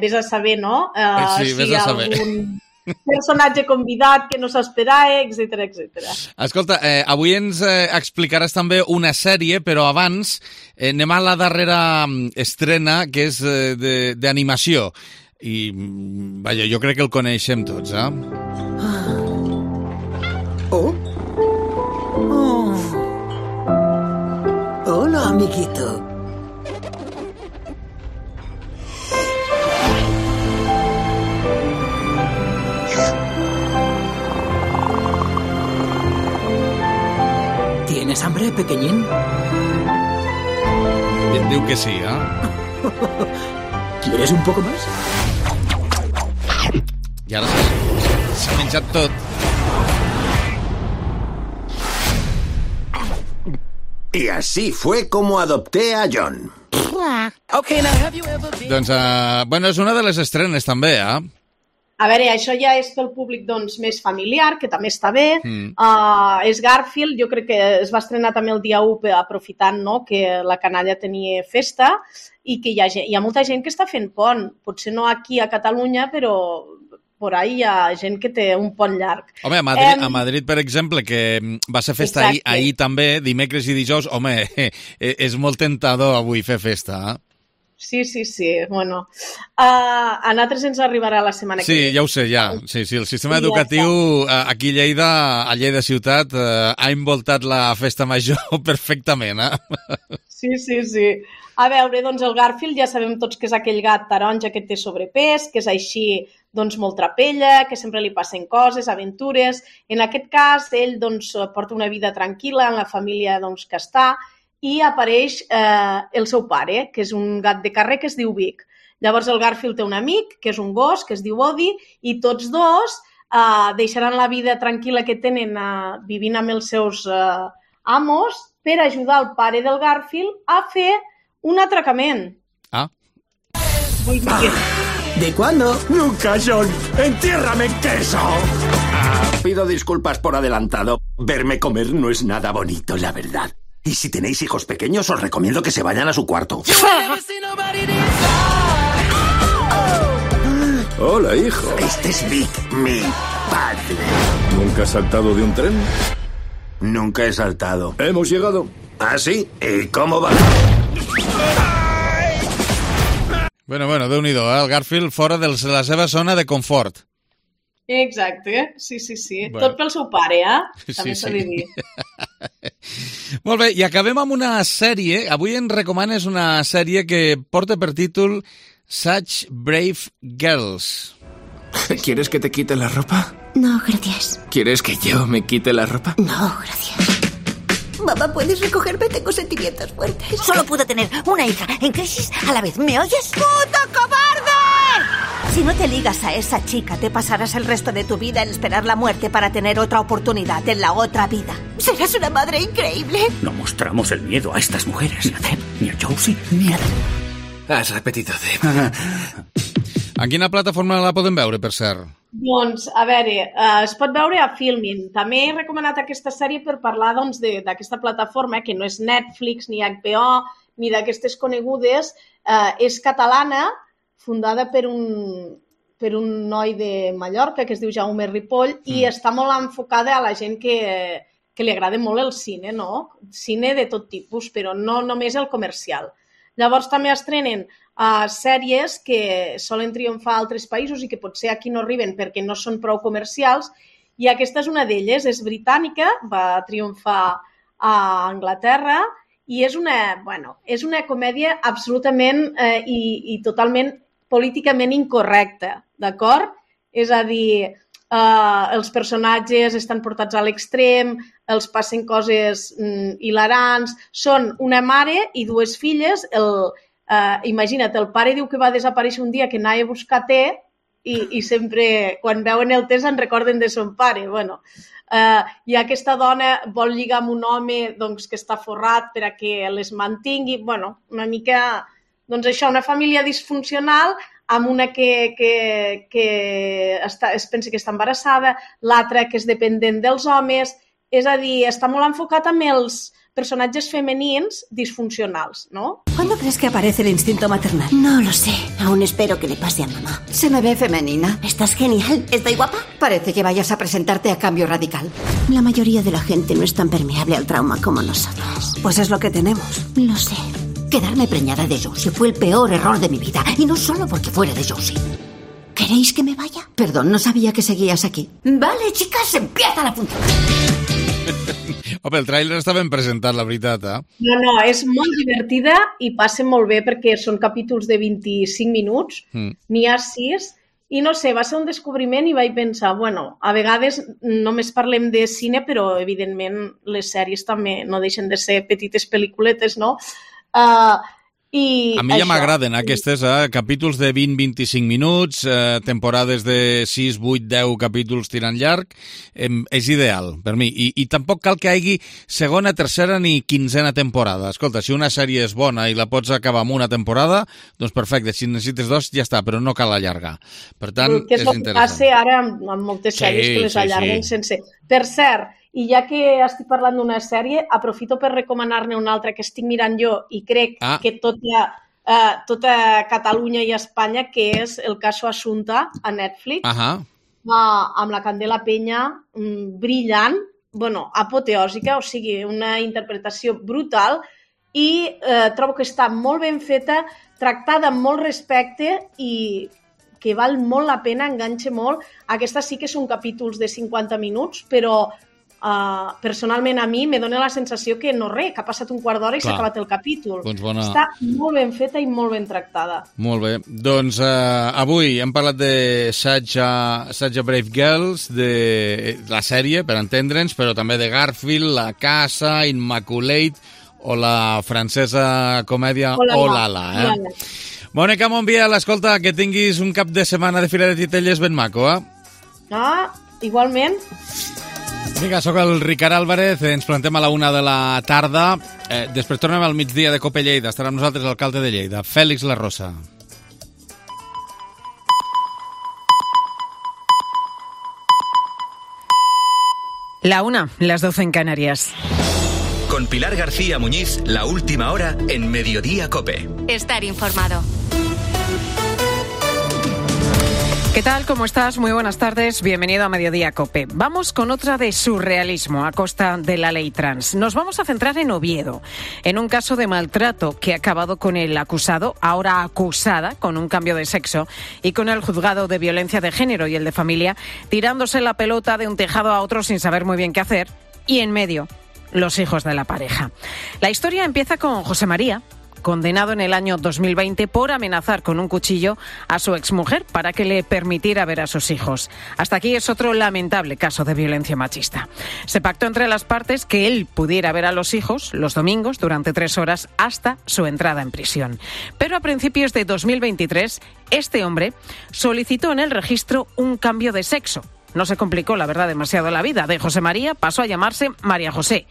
S6: vés a saber, no?
S1: Sí, vés a saber.
S6: Algun personatge convidat que no s'esperava, etc.
S1: Escolta, avui ens explicaràs també una sèrie, però abans anem a la darrera estrena, que és d'animació. I, vaja, jo crec que el coneixem tots,
S12: Hola, amiguito. ¿Tienes hambre, pequeñín?
S1: Diu que sí,
S12: ¿Quieres un poco más?
S1: I ara s'ha menjat tot.
S11: Y así fue como adopté a John.
S1: Doncs, bueno, és una de les estrenes també,
S6: A veure, això ja és pel públic doncs, més familiar, que també està bé. És Garfield, jo crec que es va estrenar també el dia 1 aprofitant que la canalla tenia festa i que hi ha molta gent que està fent pont. Potser no aquí a Catalunya, però por ahí hi ha gent que té un pont llarg.
S1: Home, a Madrid, per exemple, que va ser festa ahir també, dimecres i dijous, home, és molt tentador avui fer festa,
S6: Sí. Bueno, a nosaltres ens arribarà la setmana que ve.
S1: Sí, ja ho sé, ja. Sí, el sistema educatiu aquí a Lleida Ciutat, ha envoltat la festa major perfectament,
S6: Sí. A veure, doncs el Garfield ja sabem tots que és aquell gat taronja que té sobrepès, que és així doncs molt trapella, que sempre li passen coses, aventures. En aquest cas, ell doncs porta una vida tranquil·la en la família doncs, que està i apareix el seu pare, que és un gat de carrer que es diu Vic. Llavors el Garfield té un amic, que és un gos, que es diu Odi, i tots dos deixaran la vida tranquil·la que tenen vivint amb els seus amos per ajudar el pare del Garfield a fer un atracament.
S13: ¿De cuándo? Nunca, John. ¡Entiérrame en queso!
S14: Pido disculpas por adelantado. Verme comer no es nada bonito, la verdad. Y si tenéis hijos pequeños, os recomiendo que se vayan a su cuarto.
S10: Hola, hijo.
S14: Este es Vic, mi padre.
S10: ¿Nunca has saltado de un tren?
S14: Nunca he saltado.
S10: Hemos llegado.
S14: ¿Ah, sí? ¿Y cómo va?
S1: Bueno, Déu-n'hi-do, el Garfield fora de la seva zona de confort.
S6: Exacte, sí. Bueno. Tot pel seu pare, també s'ha de dir.
S1: Molt bé, i acabem amb una sèrie. Avui ens recomanes una sèrie que porta per títol Such Brave Girls.
S15: ¿Quieres que te quite la ropa?
S7: No, gracias.
S15: ¿Quieres que yo me quite la ropa?
S7: No, gracias. Mamá, ¿puedes recogerme? Tengo sentimientos fuertes. Solo puedo tener una hija en crisis a la vez. ¿Me oyes? ¡Puto cobarde! Si no te ligas a esa chica, te pasarás el resto de tu vida en esperar la muerte para tener otra oportunidad en la otra vida. Serás una madre increíble.
S16: No mostramos el miedo a estas mujeres, ni a Deb, ni a Josie, ni a...
S15: Has repetido, Deb.
S1: En quina plataforma la podem veure, per cert?
S6: Doncs, a veure, es pot veure a Filmin. També he recomanat aquesta sèrie per parlar d'aquesta plataforma, que no és Netflix, ni HBO, ni d'aquestes conegudes. És catalana, fundada per un noi de Mallorca, que es diu Jaume Ripoll, i està molt enfocada a la gent que li agrada molt el cine, no? Cine de tot tipus, però no només el comercial. Llavors també estrenen sèries que solen triomfar a altres països i que potser aquí no arriben perquè no són prou comercials, i aquesta és una d'elles, és britànica, va triomfar a Anglaterra i és una comèdia absolutament i totalment políticament incorrecta, d'acord? És a dir, els personatges estan portats a l'extrem, els passen coses hilarants, són una mare i dues filles. Imagina't, el pare diu que va desaparèixer un dia que anava a buscar te i sempre, quan veuen el te, se'n recorden de son pare. I aquesta dona vol lligar amb un home que està forrat per a que les mantingui. Una mica, això, una família disfuncional amb una que es pensa que està embarassada, l'altra que és dependent dels homes. És a dir, està molt enfocat amb els personatges femenins disfuncionals, ¿no?
S12: ¿Cuándo crees que aparece el instinto maternal?
S7: No lo sé. Aún espero que le pase a mamá.
S12: Se me ve femenina.
S7: Estás genial. ¿Estoy guapa?
S12: Parece que vayas a presentarte a Cambio Radical.
S7: La mayoría de la gente no es tan permeable al trauma como nosotros.
S12: Pues es lo que tenemos.
S7: Lo sé. Quedarme preñada de Josie fue el peor error de mi vida. Y no solo porque fuera de Josie. ¿Queréis que me vaya?
S12: Perdón, no sabía que seguías aquí.
S7: Vale, chicas, empieza la función.
S1: Home, el tràiler està ben presentat, la veritat,
S6: No, és molt divertida i passa molt bé perquè són capítols de 25 minuts, n'hi ha 6, i no sé, va ser un descobriment i vaig pensar, a vegades només parlem de cine, però evidentment les sèries també no deixen de ser petites pel·lículetes, no?
S1: A mi ja m'agraden aquestes, capítols de 20-25 minuts, temporades de 6, 8, 10 capítols tirant llarg, és ideal per mi. I tampoc cal que hi hagi segona, tercera ni quinzena temporada. Escolta, si una sèrie és bona i la pots acabar amb una temporada, doncs perfecte, si necessites 2 ja està, però no cal allargar. Per tant,
S6: és interessant. Que és el que passa ara amb moltes sèries que les allarguen sense... Per cert, i ja que estic parlant d'una sèrie, aprofito per recomanar-ne una altra que estic mirant jo i crec que tota Catalunya i Espanya, que és El caso Assumpta a Netflix, amb la Candela Peña, brillant, apoteòsica, o sigui, una interpretació brutal, i trobo que està molt ben feta, tractada amb molt respecte i que val molt la pena, enganxa molt. Aquesta sí que són capítols de 50 minuts, però personalment a mi me dona la sensació que que ha passat un quart d'hora i s'ha acabat el capítol. Està molt ben feta i molt ben tractada.
S1: Molt bé. Doncs avui hem parlat de Such a Brave Girls, de la sèrie, per entendre'ns, però també de Garfield, La Casa, Immaculate o la francesa comèdia Olala. Mònica Montbiel, escolta, que tinguis un cap de setmana de Fira de Titelles ben maco,
S6: Igualment.
S1: Vinga, sóc el Ricard Álvarez, ens plantem a la 1 de la tarda. Després tornem al migdia de Cope Lleida. Estarà amb nosaltres l'alcalde de Lleida, Félix La Rosa.
S17: La 1, las 12 en Canarias.
S18: Con Pilar García Muñiz, la última hora en Mediodía Cope.
S19: Estar informado.
S17: ¿Qué tal? ¿Cómo estás? Muy buenas tardes. Bienvenido a Mediodía Cope. Vamos con otra de surrealismo a costa de la ley trans. Nos vamos a centrar en Oviedo, en un caso de maltrato que ha acabado con el acusado, ahora acusada, con un cambio de sexo, y con el juzgado de violencia de género y el de familia, tirándose la pelota de un tejado a otro sin saber muy bien qué hacer, y en medio, los hijos de la pareja. La historia empieza con José María, condenado en el año 2020 por amenazar con un cuchillo a su exmujer para que le permitiera ver a sus hijos. Hasta aquí es otro lamentable caso de violencia machista. Se pactó entre las partes que él pudiera ver a los hijos los domingos durante 3 horas hasta su entrada en prisión. Pero a principios de 2023, este hombre solicitó en el registro un cambio de sexo. No se complicó, la verdad, demasiado la vida. De José María pasó a llamarse María José.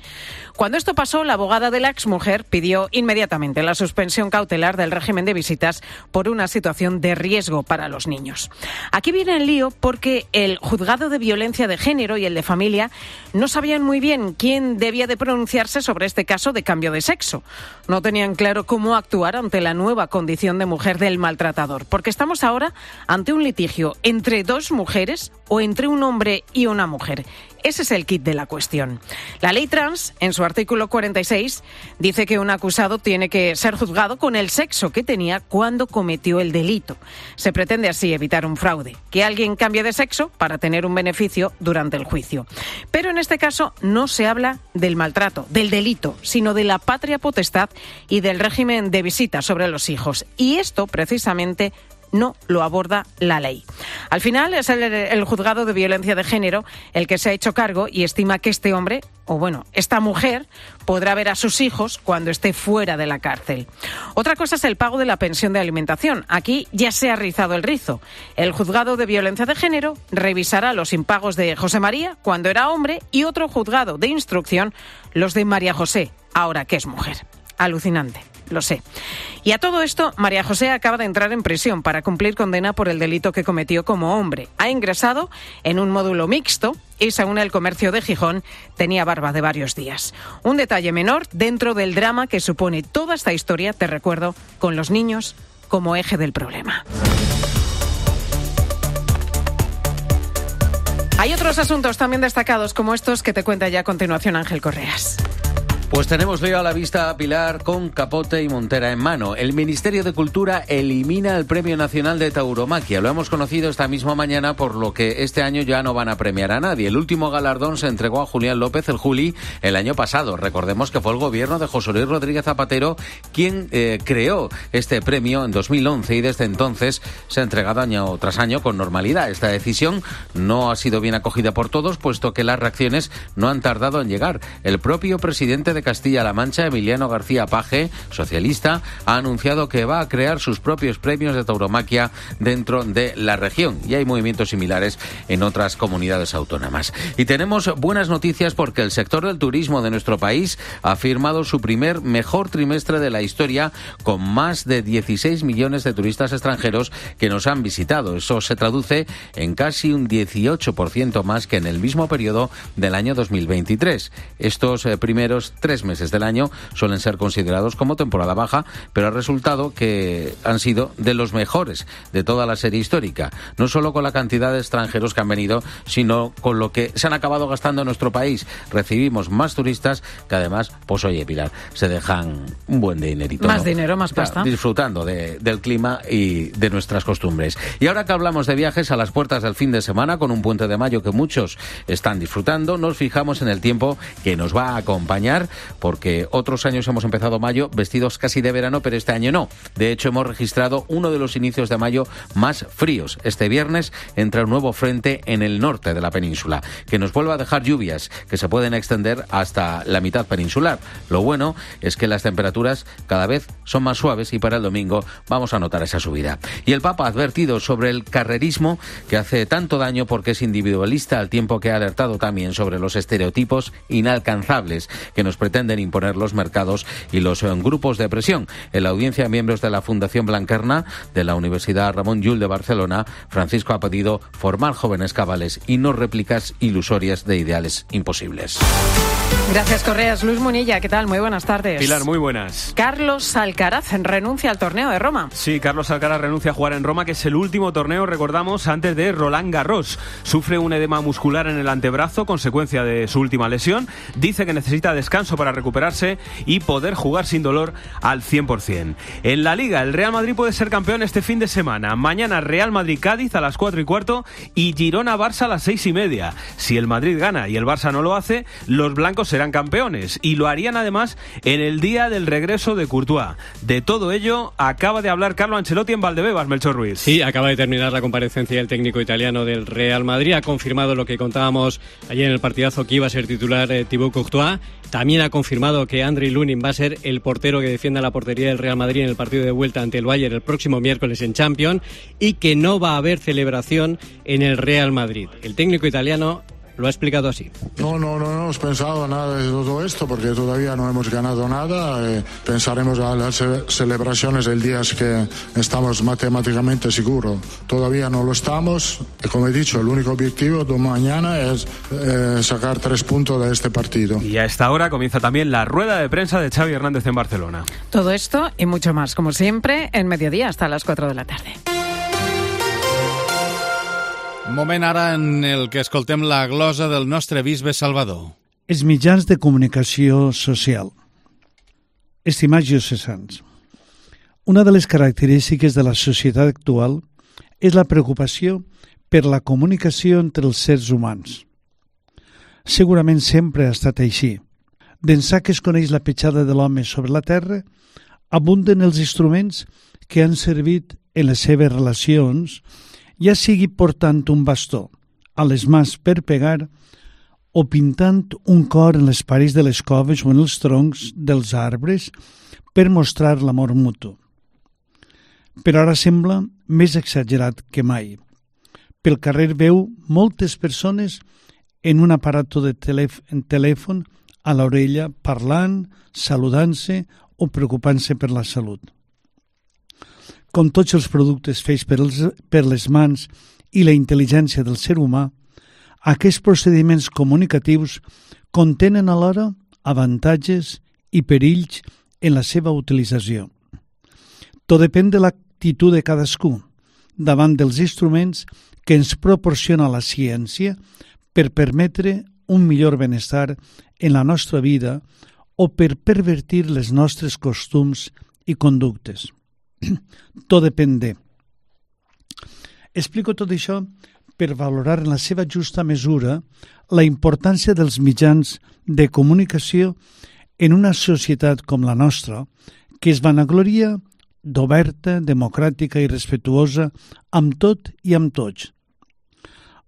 S17: Cuando esto pasó, la abogada de la exmujer pidió inmediatamente la suspensión cautelar del régimen de visitas por una situación de riesgo para los niños. Aquí viene el lío porque el juzgado de violencia de género y el de familia no sabían muy bien quién debía de pronunciarse sobre este caso de cambio de sexo. No tenían claro cómo actuar ante la nueva condición de mujer del maltratador, porque estamos ahora ante un litigio entre 2 mujeres o entre un hombre y una mujer. Ese es el quid de la cuestión. La ley trans, en su artículo 46, dice que un acusado tiene que ser juzgado con el sexo que tenía cuando cometió el delito. Se pretende así evitar un fraude, que alguien cambie de sexo para tener un beneficio durante el juicio. Pero en este caso no se habla del maltrato, del delito, sino de la patria potestad y del régimen de visita sobre los hijos. Y esto, precisamente, no lo aborda la ley. Al final es el juzgado de violencia de género el que se ha hecho cargo y estima que este hombre, o bueno, esta mujer, podrá ver a sus hijos cuando esté fuera de la cárcel. Otra cosa es el pago de la pensión de alimentación. Aquí ya se ha rizado el rizo. El juzgado de violencia de género revisará los impagos de José María cuando era hombre y otro juzgado de instrucción los de María José, ahora que es mujer. Alucinante. Lo sé. Y a todo esto, María José acaba de entrar en prisión para cumplir condena por el delito que cometió como hombre. Ha ingresado en un módulo mixto y, según el Comercio de Gijón, tenía barba de varios días. Un detalle menor dentro del drama que supone toda esta historia, te recuerdo, con los niños como eje del problema. Hay otros asuntos también destacados como estos que te cuenta ya a continuación Ángel Correas.
S20: Pues tenemos lío a la vista, Pilar, con capote y montera en mano. El Ministerio de Cultura elimina el Premio Nacional de Tauromaquia. Lo hemos conocido esta misma mañana, por lo que este año ya no van a premiar a nadie. El último galardón se entregó a Julián López, el Juli, el año pasado. Recordemos que fue el gobierno de José Luis Rodríguez Zapatero quien creó este premio en 2011 y desde entonces se ha entregado año tras año con normalidad. Esta decisión no ha sido bien acogida por todos, puesto que las reacciones no han tardado en llegar. El propio presidente de Castilla-La Mancha, Emiliano García Paje, socialista, ha anunciado que va a crear sus propios premios de tauromaquia dentro de la región, y hay movimientos similares en otras comunidades autónomas. Y tenemos buenas noticias porque el sector del turismo de nuestro país ha firmado su primer mejor trimestre de la historia, con más de 16 millones de turistas extranjeros que nos han visitado. Eso se traduce en casi un 18% más que en el mismo periodo del año 2023. Estos primeros 3 meses del año suelen ser considerados como temporada baja, pero ha resultado que han sido de los mejores de toda la serie histórica, no solo con la cantidad de extranjeros que han venido, sino con lo que se han acabado gastando en nuestro país. Recibimos más turistas que además, pues oye, Pilar, se dejan un buen dinerito.
S17: Más, ¿no? Dinero, más pasta.
S20: Disfrutando del clima y de nuestras costumbres. Y ahora que hablamos de viajes a las puertas del fin de semana, con un puente de mayo que muchos están disfrutando, nos fijamos en el tiempo que nos va a acompañar porque otros años hemos empezado mayo vestidos casi de verano, pero este año no. De hecho, hemos registrado uno de los inicios de mayo más fríos. Este viernes entra un nuevo frente en el norte de la península, que nos vuelve a dejar lluvias que se pueden extender hasta la mitad peninsular. Lo bueno es que las temperaturas cada vez son más suaves y para el domingo vamos a notar esa subida. Y el Papa ha advertido sobre el carrerismo que hace tanto daño porque es individualista, al tiempo que ha alertado también sobre los estereotipos inalcanzables que nos pretenden imponer los mercados y los grupos de presión. En la audiencia a miembros de la Fundación Blanquerna de la Universidad Ramon Llull de Barcelona, Francisco ha pedido formar jóvenes cabales y no réplicas ilusorias de ideales imposibles.
S17: Gracias, Correas. Luis Munilla, ¿qué tal? Muy buenas tardes.
S19: Pilar, muy buenas.
S17: Carlos Alcaraz renuncia al torneo de Roma.
S19: Sí, Carlos Alcaraz renuncia a jugar en Roma, que es el último torneo, recordamos, antes de Roland Garros. Sufre un edema muscular en el antebrazo, consecuencia de su última lesión. Dice que necesita descanso para recuperarse y poder jugar sin dolor al 100%. En la Liga, el Real Madrid puede ser campeón este fin de semana. Mañana Real Madrid-Cádiz a las 4:15 y Girona-Barça a las 6:30. Si el Madrid gana y el Barça no lo hace, los blancos serán campeones y lo harían además en el día del regreso de Courtois. De todo ello acaba de hablar Carlo Ancelotti en Valdebebas, Melchor Ruiz.
S21: Sí, acaba de terminar la comparecencia del técnico italiano del Real Madrid. Ha confirmado lo que contábamos ayer en el partidazo, que iba a ser titular Thibaut Courtois. También ha confirmado que Andriy Lunin va a ser el portero que defienda la portería del Real Madrid en el partido de vuelta ante el Bayern el próximo miércoles en Champions, y que no va a haber celebración en el Real Madrid. El técnico italiano lo ha explicado así.
S22: No hemos pensado nada de todo esto porque todavía no hemos ganado nada. Pensaremos a las celebraciones el día que estamos matemáticamente seguros. Todavía no lo estamos. Y como he dicho, el único objetivo de mañana es sacar 3 puntos de este partido.
S19: Y a esta hora comienza también la rueda de prensa de Xavi Hernández en Barcelona.
S17: Todo esto y mucho más, como siempre, en Mediodía hasta las 4 de la tarde.
S1: Moment ara en el que escoltem la glosa del nostre bisbe Salvador.
S23: Els mitjans de comunicació social. Estimats diocesans, una de les característiques de la societat actual és la preocupació per la comunicació entre els sers humans. Segurament sempre ha estat així. D'ençà que es coneix la petjada de l'home sobre la terra, abunden els instruments que han servit en les seves relacions, ja sigui portant un bastó a les mans per pegar o pintant un cor en les parets de les coves o en els troncs dels arbres per mostrar l'amor mutu. Però ara sembla més exagerat que mai. Pel carrer veu moltes persones en un aparato de telèfon a l'orella parlant, saludant-se o preocupant-se per la salut. Com tots els productes fets per les mans i la intel·ligència del ser humà, aquests procediments comunicatius contenen alhora avantatges i perills en la seva utilització. Tot depèn de l'actitud de cadascú davant dels instruments que ens proporciona la ciència per permetre un millor benestar en la nostra vida o per pervertir les nostres costums i conductes. Tot depèn de. Explico tot això per valorar en la seva justa mesura la importància dels mitjans de comunicació en una societat com la nostra, que es vanagloria d'oberta, democràtica i respectuosa amb tot i amb tots.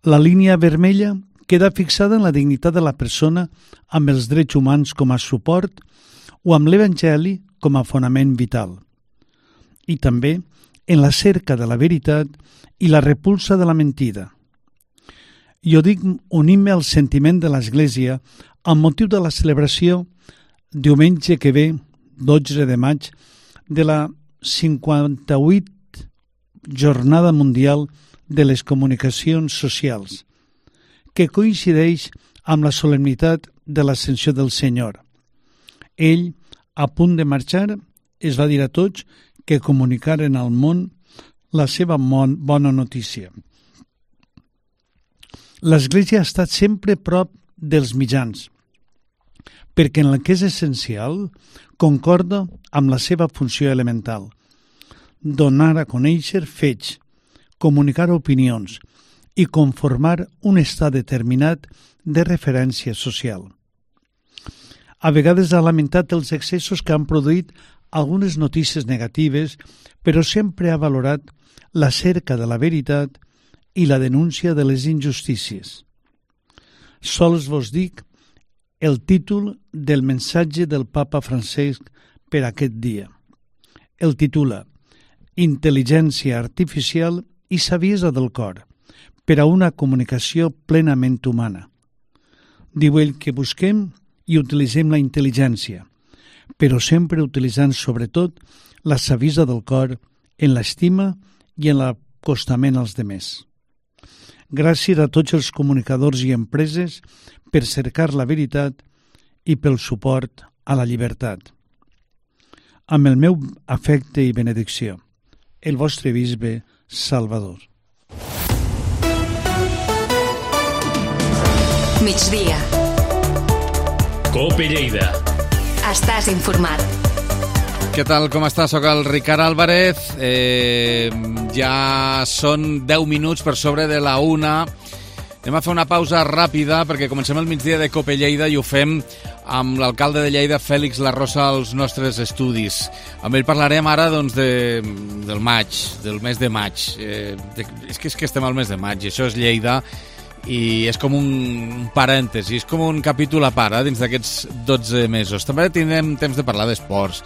S23: La línia vermella queda fixada en la dignitat de la persona amb els drets humans com a suport o amb l'Evangeli com a fonament vital. I també en la cerca de la veritat i la repulsa de la mentida. Jo dic unint-me al sentiment de l'Església amb motiu de la celebració diumenge que ve, 12 de maig, de la 58 Jornada Mundial de les Comunicacions Socials, que coincideix amb la solemnitat de l'Ascensió del Senyor. Ell, a punt de marxar, es va dir a tots que comunicaren al món la seva bona notícia. L'Església ha estat sempre prop dels mitjans, perquè en el que és essencial concorda amb la seva funció elemental: donar a conèixer fets, comunicar opinions i conformar un estat determinat de referència social. A vegades ha lamentat els excessos que han produït algunes notícies negatives, però sempre ha valorat la cerca de la veritat i la denúncia de les injustícies. Sols vos dic el títol del missatge del papa Francesc per aquest dia. El titula Intel·ligència artificial i saviesa del cor per a una comunicació plenament humana. Diu ell que busquem i utilitzem la intel·ligència, però sempre utilitzant sobretot la saviesa del cor en l'estima i en l'acostament als demés. Gràcies a tots els comunicadors i empreses per cercar la veritat i pel suport a la llibertat. Amb el meu afecte i benedicció, el vostre bisbe Salvador.
S2: Migdia.
S18: COPE Lleida.
S2: Estàs informat.
S1: Què tal, com està? Soc el Ricard Álvarez. Ja són 10 minuts per sobre de la 1. Anem a fer una pausa ràpida perquè comencem el migdia de COPE Lleida i ho fem amb l'alcalde de Lleida, Fèlix Larrosa, als nostres estudis. Amb ell parlarem ara del maig, del mes de maig. És que estem al mes de maig i això és Lleida i és com un parèntesi, és com un capítol a part dins d'aquests 12 mesos. També tindrem temps de parlar d'esports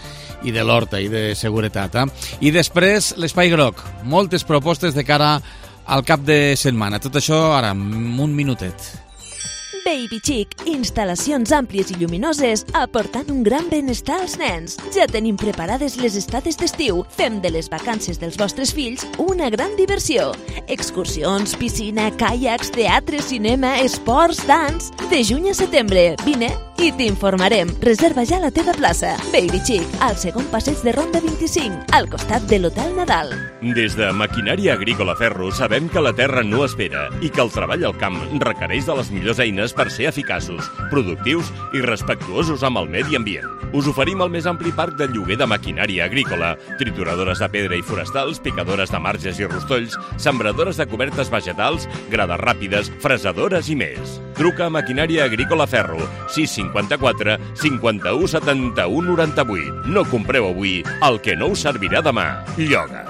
S1: i de l'horta i de seguretat. I després l'Espai Groc, moltes propostes de cara al cap de setmana. Tot això ara, en un minutet.
S3: Baby Chic, instal·lacions àmplies i lluminoses aportant un gran benestar als nens. Ja tenim preparades les estades d'estiu. Fem de les vacances dels vostres fills una gran diversió. Excursions, piscina, caiacs, teatre, cinema, esports, dans... De juny a setembre, vine i t'informarem. Reserva ja la teva plaça. Baby Chic, al segon passeig de Ronda 25, al costat de l'Hotel Nadal.
S4: Des de Maquinària Agrícola Ferro sabem que la terra no espera i que el treball al camp requereix de les millors eines per ser eficaços, productius i respectuosos amb el medi ambient. Us oferim el més ampli parc de lloguer de maquinària agrícola, trituradores de pedra i forestals, picadores de marges i rostolls, sembradores de cobertes vegetals, grades ràpides, fresadores i més. Truca a Maquinària Agrícola Ferro, 654 51 71 98. No compreu avui el que no us servirà demà. Lloga.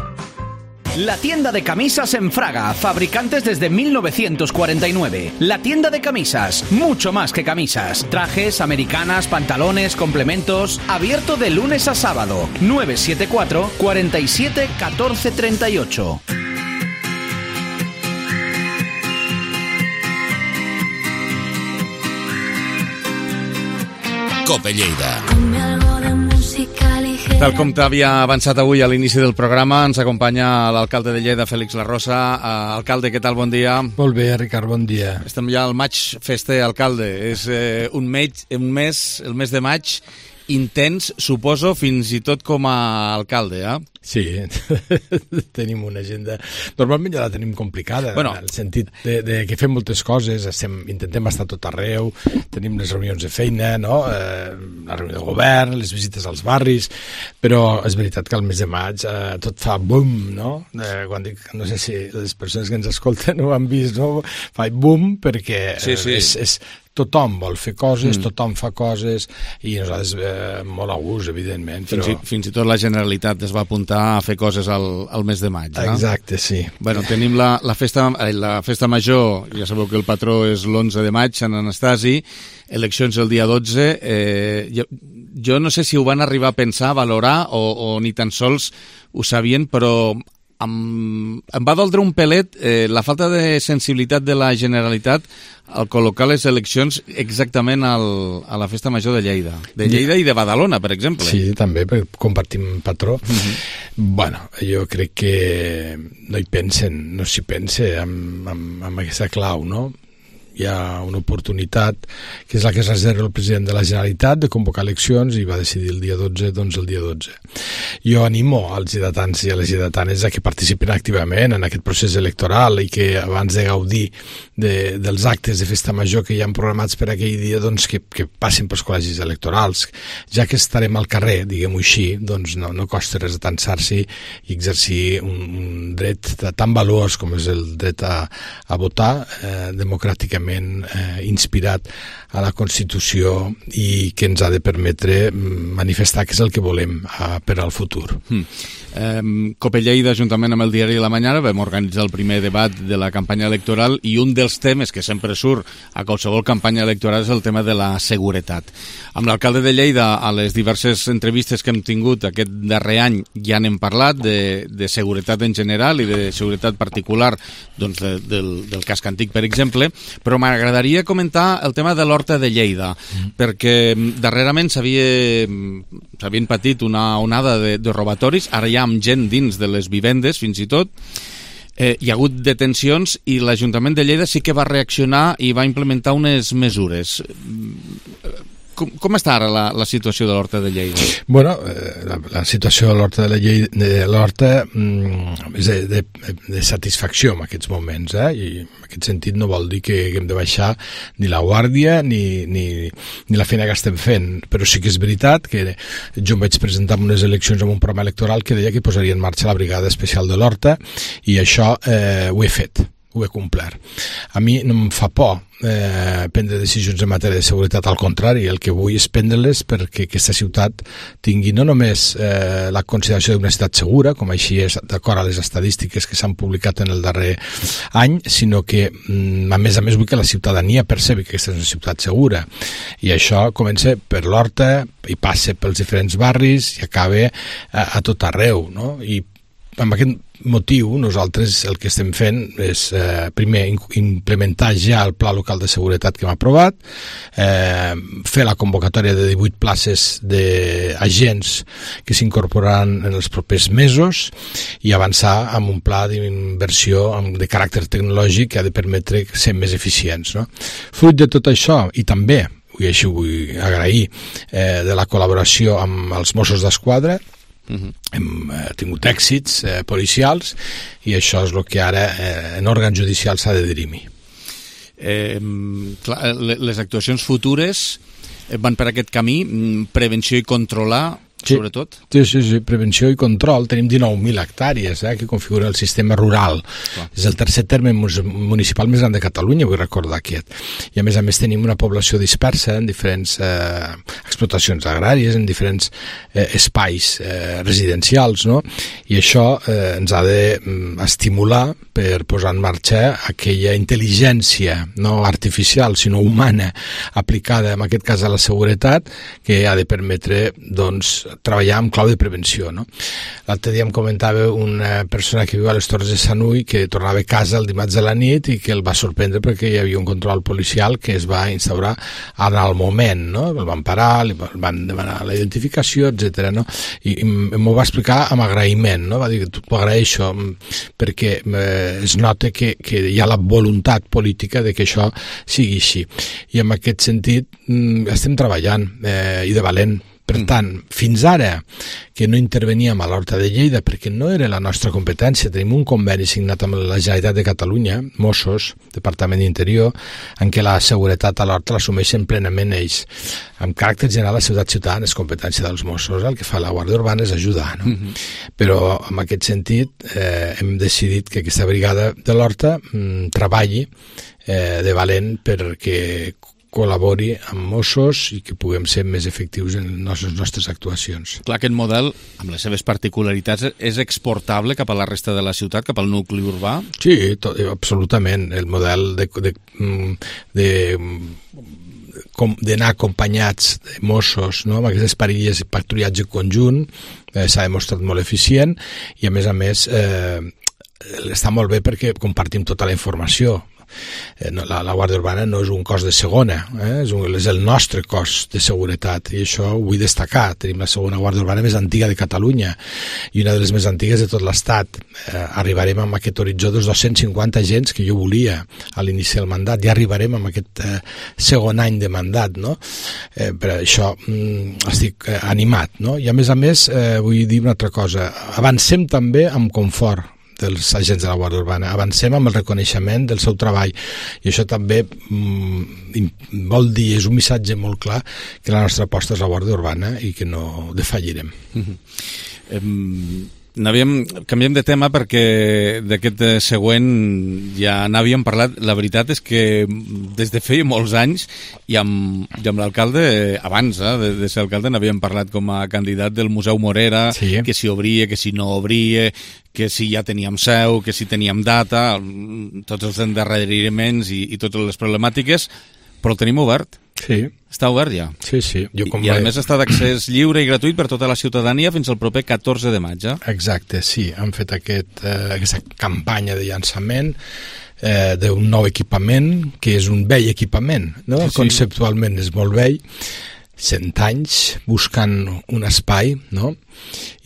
S5: La tienda de camisas en Fraga, fabricantes desde 1949. La tienda de camisas, mucho más que camisas. Trajes, americanas, pantalones, complementos. Abierto de lunes a sábado. 974 47 14 38.
S18: COPE Lleida.
S1: Tal com t'havia avançat avui a l'inici del programa, ens acompanya l'alcalde de Lleida, Fèlix Larrosa. Alcalde, què tal? Bon dia.
S24: Molt bé, Ricard, bon dia.
S1: Estem ja al maig fester, alcalde. És un mes, el mes de maig, intens, suposo, fins i tot com a alcalde,
S24: Sí, tenim una agenda... Normalment ja la tenim complicada, en el sentit de que fem moltes coses, intentem estar tot arreu, tenim les reunions de feina, no? La reunió de govern, les visites als barris, però és veritat que al mes de maig tot fa boom, no? Quan dic, no sé si les persones que ens escolten ho han vist, no? Fa boom perquè és tothom vol fer coses, tothom fa coses i nosaltres molt a gust, evidentment. Però...
S1: Fins i tot la Generalitat es va apuntar a fer coses al mes de maig.
S24: Exacte, sí.
S1: Bueno, tenim la festa major, ja sabeu que el patró és l'11 de maig, Sant Anastasi, eleccions el dia 12. Jo no sé si ho van arribar a pensar, a valorar, o ni tan sols ho sabien, però... Em va doldre un pelet la falta de sensibilitat de la Generalitat al col·locar les eleccions exactament a la Festa Major de Lleida. De Lleida i de Badalona, per exemple.
S24: Sí, també, perquè compartim patró. Bueno, jo crec que no s'hi pense amb aquesta clau, no? Hi ha una oportunitat, que és la que es reserva el president de la Generalitat, de convocar eleccions, i va decidir el dia 12, doncs el dia 12. Jo animo als lleidatans i a les lleidatanes a que participin activament en aquest procés electoral i que abans de gaudir dels actes de festa major que hi ha programats per aquell dia, doncs que passin pels col·legis electorals. Ja que estarem al carrer, diguem-ho així, doncs no costa res atansar-s'hi i exercir un dret tan valuós com és el dret a votar democràticament clarament inspirat a la Constitució i que ens ha de permetre manifestar què és el que volem per al futur.
S1: COPE Lleida, juntament amb el diari La Mañana, vam organitzar el primer debat de la campanya electoral i un dels temes que sempre surt a qualsevol campanya electoral és el tema de la seguretat. Amb l'alcalde de Lleida, a les diverses entrevistes que hem tingut aquest darrer any, ja n'hem parlat de seguretat en general i de seguretat particular doncs, del casc antic, per exemple, però m'agradaria comentar el tema de l'Horta de Lleida, perquè darrerament s'havien patit una onada de robatoris, ara ja amb gent dins de les vivendes, fins i tot. Hi ha hagut detencions i l'Ajuntament de Lleida sí que va reaccionar i va implementar unes mesures. Com està ara la situació de l'Horta de Lleida?
S24: Bueno, la situació de l'Horta és de satisfacció en aquests moments, i en aquest sentit no vol dir que hem de baixar ni la guàrdia ni la feina que estem fent, però sí que és veritat que jo em vaig presentar en unes eleccions amb un programa electoral que deia que posaria en marxa la brigada especial de l'Horta i això ho he fet. Ho he complert. A mi no em fa por prendre decisions en matèria de seguretat, al contrari, el que vull és prendre-les perquè aquesta ciutat tingui no només la consideració d'una ciutat segura, com així és d'acord a les estadístiques que s'han publicat en el darrer any, sinó que a més vull que la ciutadania percebi que aquesta és una ciutat segura, i això comença per l'Horta i passa pels diferents barris i acaba a tot arreu, no? I amb aquest motiu nosaltres el que estem fent és primer implementar ja el Pla Local de Seguretat que hem aprovat, fer la convocatòria de 18 places d'agents que s'incorporaran en els propers mesos i avançar amb un pla d'inversió de caràcter tecnològic que ha de permetre ser més eficients, no? Fruit de tot això, i també i així vull agrair de la col·laboració amb els Mossos d'Esquadra, hem tingut èxits policials i això és el que ara en òrgans judicials s'ha de dirimir.
S1: Les actuacions futures van per aquest camí, prevenció i controlar, sobretot?
S24: Sí, prevenció i control. Tenim 19.000 hectàrees que configuren el sistema rural. És el tercer terme municipal més gran de Catalunya, vull recordar aquest. I a més tenim una població dispersa en diferents explotacions agràries, en diferents espais residencials, no? I això ens ha d'estimular per posar en marxa aquella intel·ligència no artificial, sinó humana, aplicada en aquest cas a la seguretat, que ha de permetre, doncs, treballar amb clau de prevenció, no? L'altre dia em comentava una persona que viu a les Torres de Sanui que tornava a casa el dimarts de la nit i que el va sorprendre perquè hi havia un control policial que es va instaurar en el moment, no? El van parar, li van demanar la identificació, etc. no? I m'ho va explicar amb agraïment, no? Va dir que t'ho agraeixo perquè es nota que hi ha la voluntat política de que això sigui així. I en aquest sentit estem treballant i de valent. Per tant, fins ara que no interveníem a l'Horta de Lleida perquè no era la nostra competència, tenim un conveni signat amb la Generalitat de Catalunya, Mossos, Departament d'Interior, en què la seguretat a l'Horta l'assumeixen plenament ells. Amb caràcter general, la ciutat ciutadana és competència dels Mossos, el que fa la Guàrdia Urbana és ajudar, no? Però en aquest sentit hem decidit que aquesta brigada de l'Horta treballi de valent perquè col·labori amb Mossos i que puguem ser més efectius en les nostres actuacions.
S1: Clar, aquest model, amb les seves particularitats, és exportable cap a la resta de la ciutat, cap al nucli urbà?
S24: Sí, absolutament. El model d'anar acompanyats de Mossos, no? Amb aquestes parilles de patrullatge conjunt s'ha demostrat molt eficient i a més està molt bé perquè compartim tota la informació. La Guàrdia Urbana no és un cos de segona, és el nostre cos de seguretat i això ho vull destacar. Tenim la segona Guàrdia Urbana més antiga de Catalunya i una de les més antigues de tot l'Estat. Arribarem amb aquest horitzó dels 250 agents que jo volia a l'inici del mandat, ja arribarem amb aquest segon any de mandat, no? Per això estic animat, no? I a més vull dir una altra cosa, avancem també amb confort dels agents de la Guàrdia Urbana, avancem amb el reconeixement del seu treball i això també vol dir, és un missatge molt clar que la nostra aposta és la Guàrdia Urbana i que no defallirem.
S1: Canviem de tema perquè d'aquest següent ja n'havíem parlat. La veritat és que des de feia molts anys i amb l'alcalde, abans de ser alcalde, n'havíem parlat com a candidat del Museu Morera, que si obria, que si no obria, que si ja teníem seu, que si teníem data, tots els endarreriments i totes les problemàtiques, però el tenim obert.
S24: Sí.
S1: Està obert ja.
S24: Sí.
S1: I a més està d'accés lliure i gratuït per tota la ciutadania fins al proper 14 de maig.
S24: Exacte, sí. Han fet aquesta campanya de llançament d'un nou equipament, que és un vell equipament, no? Sí. Conceptualment és molt vell, 100 anys buscant un espai, no?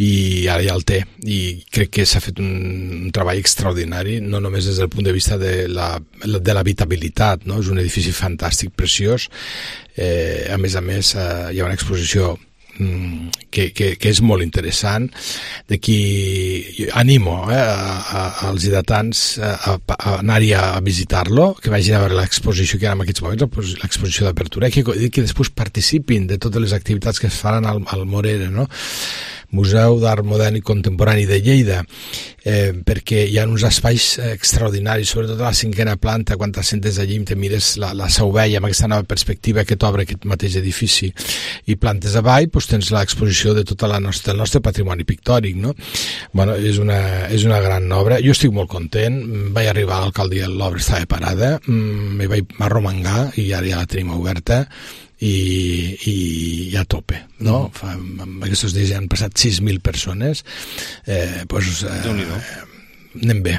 S24: I ara ja el té, i crec que s'ha fet un treball extraordinari, no només des del punt de vista de l'habitabilitat, no? És un edifici fantàstic, preciós, a més hi ha una exposició que és molt interessant, d'aquí animo als lleidatans a anar-hi a visitar-lo, que vagin a veure l'exposició que hi ha en aquests moments, l'exposició d'apertura, i que després participin de totes les activitats que es faran al Morera, no? Museu d'Art Modern i Contemporani de Lleida, perquè hi ha uns espais extraordinaris, sobretot a la 5ª planta, quan t'assentes allí i te mires la Seu Vella amb aquesta nova perspectiva que t'obre aquest mateix edifici, i plantes avall tens l'exposició de tot el nostre patrimoni pictòric, no? Bueno, és una gran obra. Jo estic molt content, vaig arribar a l'alcaldia, l'obra estava parada, me vaig arromangar i ara ja la tenim oberta, i a tope, no? Aquests dies ja han passat 6.000 persones, anem bé.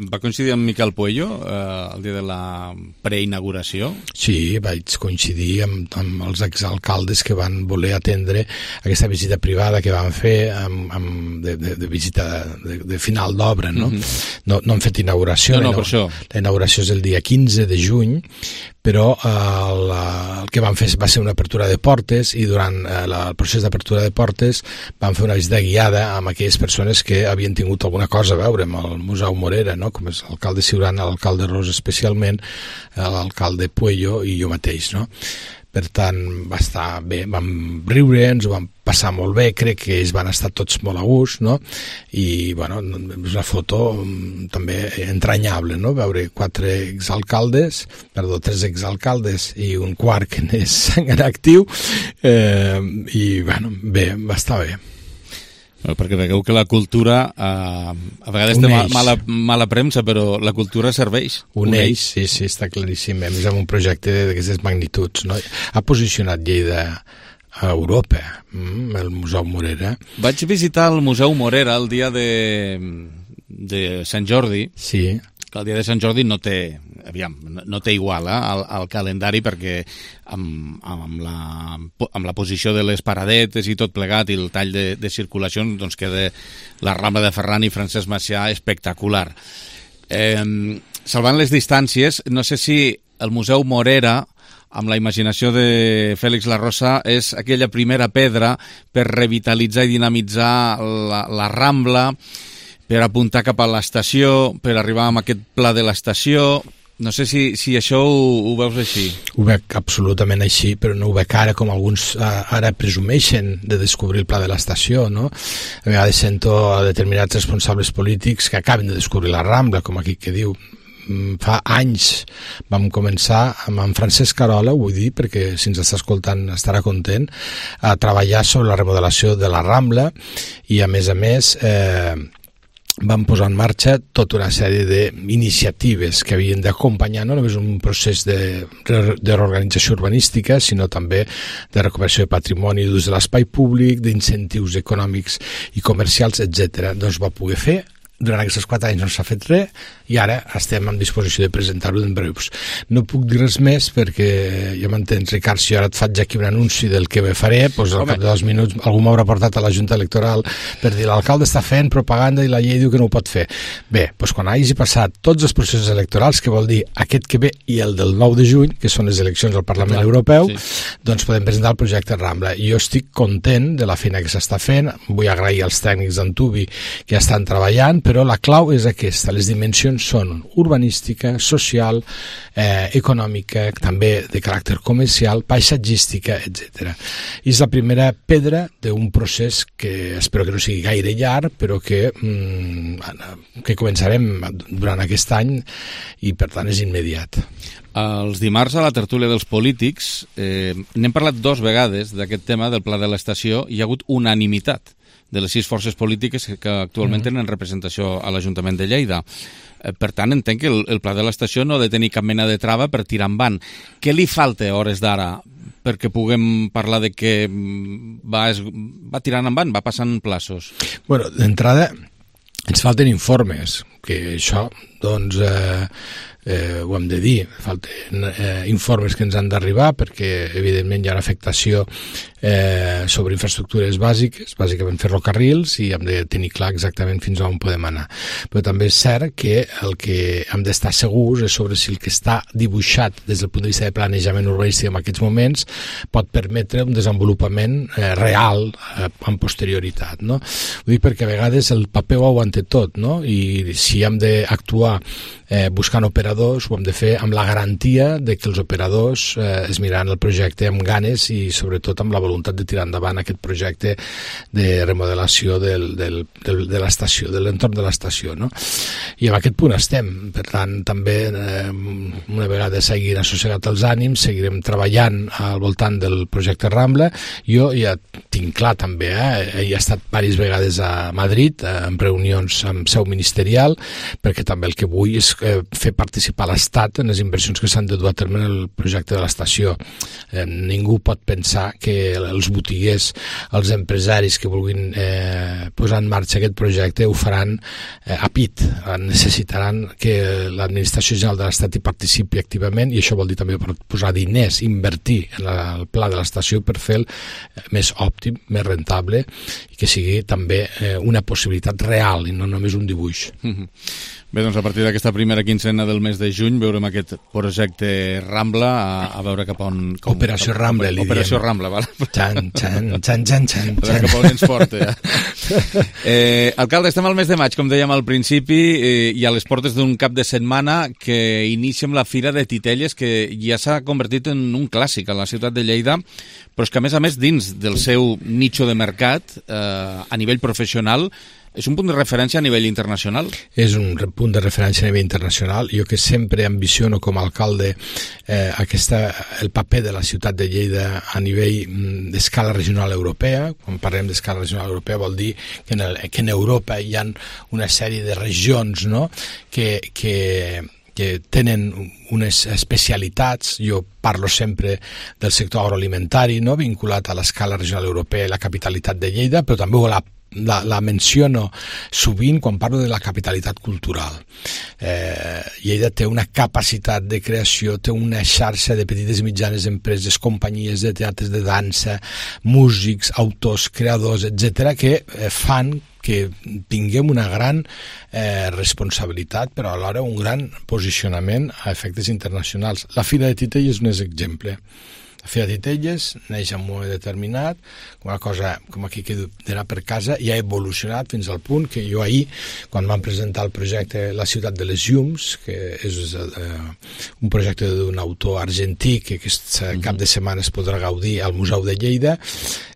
S1: Va coincidir amb Miquel Puello el dia de la preinauguració?
S24: Sí, vaig coincidir amb els exalcaldes que van voler atendre aquesta visita privada que van fer de visita de final d'obra, no? No han fet inauguració.
S1: No, per això.
S24: La inauguració és el dia 15 de juny, però el que van fer va ser una apertura de portes, i durant el procés d'apertura de portes van fer una visita guiada amb aquelles persones que havien tingut alguna cosa a veure amb el Museu Morera, no? Com és l'alcalde Ciurana, l'alcalde Ros especialment, l'alcalde Puello i jo mateix, no? Per tant, va estar bé, vam riure, ens ho vam passar molt bé, crec que ells van estar tots molt a gust, no? I, bueno, és una foto també entranyable, no? Veure 3 exalcaldes i un quart que n'és en actiu, i, bueno, bé, va estar bé.
S1: Perquè veieu que la cultura a vegades té mala premsa, però la cultura serveix.
S24: Uneix, sí, està claríssim. A més, amb un projecte d'aquestes magnituds, no? Ha posicionat Lleida a Europa, el Museu Morera.
S1: Vaig visitar el Museu Morera el dia de Sant Jordi.
S24: Sí.
S1: Que el dia de Sant Jordi no té igual al calendari, perquè amb la posició de les paradetes i tot plegat i el tall de circulació, doncs queda la Rambla de Ferran i Francesc Macià espectacular. Salvant les distàncies, no sé si el Museu Morera, amb la imaginació de Fèlix Larrosa, és aquella primera pedra per revitalitzar i dinamitzar la Rambla, per apuntar cap a l'estació, per arribar amb aquest pla de l'estació. No sé si això ho veus així.
S24: Ho veig absolutament així, però no ho veig ara com alguns ara presumeixen de descobrir el pla de l'estació, no? A vegades sento a determinats responsables polítics que acaben de descobrir la Rambla, com aquí que diu. Fa anys vam començar amb en Francesc Carola, ho vull dir perquè si ens està escoltant estarà content, a treballar sobre la remodelació de la Rambla, i a més vam posar en marxa tota una sèrie d'iniciatives que havien d'acompanyar no només un procés de reorganització urbanística, sinó també de recuperació de patrimoni, d'ús de l'espai públic, d'incentius econòmics i comercials, etc. Doncs va poder fer. Durant aquests 4 anys no s'ha fet res, i ara estem en disposició de presentar-ho en breus. No puc dir res més perquè, ja m'entens, Ricard, si jo ara et faig aquí un anunci del que faré, doncs al cap de 2 minuts algú m'haurà portat a la Junta Electoral per dir l'alcalde està fent propaganda i la llei diu que no ho pot fer. Bé, doncs quan hagi passat tots els processos electorals, que vol dir aquest que ve i el del 9 de juny, que són les eleccions al Parlament Europeu, doncs podem presentar el projecte Rambla. I jo estic content de la feina que s'està fent, vull agrair als tècnics d'Antubi que estan treballant, però però la clau és aquesta, les dimensions són urbanística, social, econòmica, també de caràcter comercial, paisatgística, etc. I és la primera pedra d'un procés que espero que no sigui gaire llarg, però que començarem durant aquest any i per tant és immediat.
S1: Els dimarts a la tertúlia dels polítics n'hem parlat 2 vegades d'aquest tema del pla de l'estació i hi ha hagut unanimitat de les 6 forces polítiques que actualment tenen representació a l'Ajuntament de Lleida. Per tant, entenc que el pla de l'estació no ha de tenir cap mena de trava per tirar endavant. Què li falta a hores d'ara perquè puguem parlar de que va tirant endavant, va passant plaços?
S24: Bueno, d'entrada ens falten informes, que això, doncs, ho hem de dir, falten informes que ens han d'arribar perquè evidentment hi ha una afectació sobre infraestructures bàsiques, bàsicament ferrocarrils, i hem de tenir clar exactament fins on podem anar. Però també és cert que el que hem d'estar segurs és sobre si el que està dibuixat des del punt de vista de planejament urbanístic en aquests moments pot permetre un desenvolupament real amb posterioritat, no? Ho dic perquè a vegades el paper ho aguanta tot, no? I si hem d'actuar buscant operadors, ho hem de fer amb la garantia de que els operadors es miraran el projecte amb ganes i sobretot amb la voluntat de tirar endavant aquest projecte de remodelació de l'estació, de l'entorn de l'estació, no? I en aquest punt estem. Per tant, també una vegada s'hagin assossegat els ànims, seguirem treballant al voltant del projecte Rambla. Jo ja tinc clar també, he estat diverses vegades a Madrid en reunions amb seu ministerial, perquè també el que vull és fer participar l'Estat en les inversions que s'han de dur a terme en el projecte de l'estació. Ningú pot pensar que els botiguers, els empresaris que vulguin posar en marxa aquest projecte ho faran a pit. Necessitaran que l'administració general de l'Estat hi participi activament, i això vol dir també posar diners, invertir en el pla de l'estació per fer el més òptim, més rentable, i que sigui també una possibilitat real i no només un dibuix.
S1: Bé, doncs a partir d'aquesta primera quinzena del mes de juny veurem aquest projecte Rambla, a veure cap on...
S24: Operació Rambla, li diem.
S1: Operació Rambla, val?
S24: Xan.
S1: A veure cap on ens porta. Alcalde, estem al mes de maig, com dèiem al principi, i a les portes d'un cap de setmana que inicia amb la Fira de Titelles, que ja s'ha convertit en un clàssic a la ciutat de Lleida, però és que a més dins del seu nicho de mercat, a nivell professional, és un punt de referència a nivell internacional?
S24: És un punt de referència a nivell internacional. Jo que sempre ambiciono com a alcalde el paper de la ciutat de Lleida a nivell d'escala regional europea. Quan parlem d'escala regional europea vol dir que en Europa hi ha una sèrie de regions, no?, que tenen unes especialitats. Jo parlo sempre del sector agroalimentari, no?, vinculat a l'escala regional europea i la capitalitat de Lleida, però també la menciono sovint quan parlo de la capitalitat cultural. Lleida té una capacitat de creació, té una xarxa de petites i mitjanes empreses, companyies de teatres de dansa, músics, autors, creadors, etc., que fan que tinguem una gran responsabilitat, però alhora un gran posicionament a efectes internacionals. La Fira de Titelles és un exemple. La Fira de Titelles neix en un moment determinat, una cosa com aquí que d'anar per casa, i ha evolucionat fins al punt que jo ahir, quan vam presentar el projecte La ciutat de les llums, que és un projecte d'un autor argentí que aquest cap de setmana es podrà gaudir al Museu de Lleida,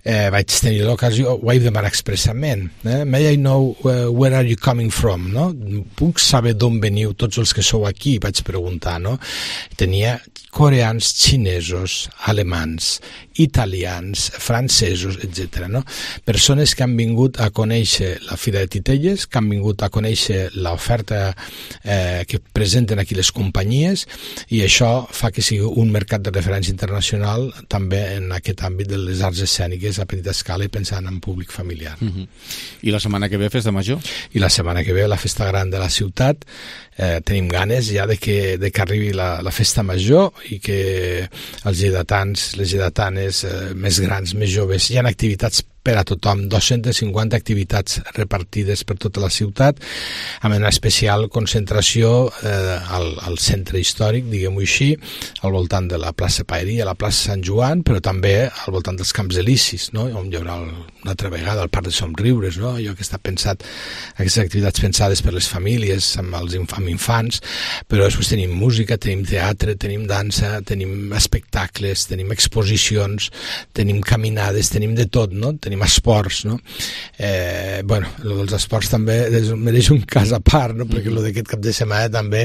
S24: vaig tenir l'ocasió, ho vaig demanar expressament, may I know where are you coming from, no? Puc saber d'on veniu tots els que sou aquí? Vaig preguntar, no? Tenia coreans, xinesos, alemans, italians, francesos, etc. No? Persones que han vingut a conèixer la Fira de Titelles, que han vingut a conèixer l'oferta que presenten aquí les companyies, i això fa que sigui un mercat de referència internacional també en aquest àmbit de les arts escèniques a petita escala i pensant en públic familiar.
S1: I la setmana que ve, Festa Major?
S24: I la setmana que ve, la Festa Gran de la ciutat. Tenim ganes ja de que arribi la Festa Major i que els lleidatans, les lleidatanes més grans, més joves, hi ha activitats per a tothom, 250 activitats repartides per tota la ciutat, amb una especial concentració al centre històric, diguem-ho així, al voltant de la plaça Paeria, la plaça Sant Joan, però també al voltant dels Camps Elisis, no? On hi haurà una altra vegada el Parc de Somriures, no? Allò que està pensat, aquestes activitats pensades per les famílies, amb infants, però després tenim música, tenim teatre, tenim dansa, tenim espectacles, tenim exposicions, tenim caminades, tenim de tot, no? Tenim esports, no? Bueno, els esports també mereix un cas a part, no? Perquè el d'aquest cap de setmana també,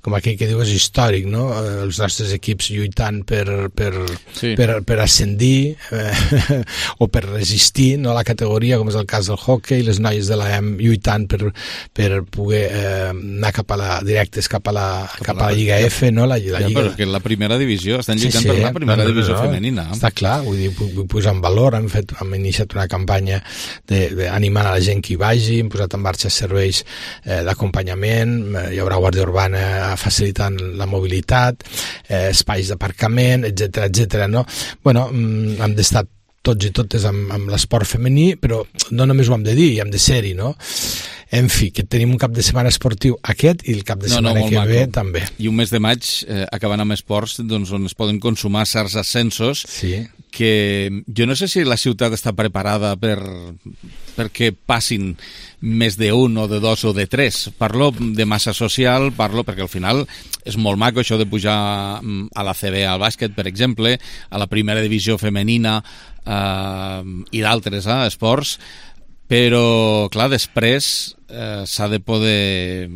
S24: com aquell que diu, és històric, no? Els nostres equips lluitant per ascendir o per resistir, no? A la categoria, com és el cas del hockey, les noies de l'AM lluitant per poder anar directes cap a la Lliga F, no? La Lliga...
S1: Però que la primera divisió, estan lluitant per la primera divisió femenina.
S24: Està clar, vull dir, vull posar en valor, hem iniciat una campanya animant a la gent que hi vagi, hem posat en marxa serveis d'acompanyament, hi haurà guàrdia urbana facilitant la mobilitat, espais d'aparcament, etc, no? Bueno, hem d'estar tots i totes amb l'esport femení, però no només ho hem de dir, hem de ser-hi, no? En fi, que tenim un cap de setmana esportiu aquest i el cap de setmana que ve també.
S1: I un mes de maig, acabant amb esports, doncs, on es poden consumar certs ascensos, que jo no sé si la ciutat està preparada perquè passin més d'un o de dos o de tres. Parlo de massa social, perquè al final és molt maco això de pujar a la CB al bàsquet, per exemple, a la primera divisió femenina i d'altres esports, però clar, després s'ha de poder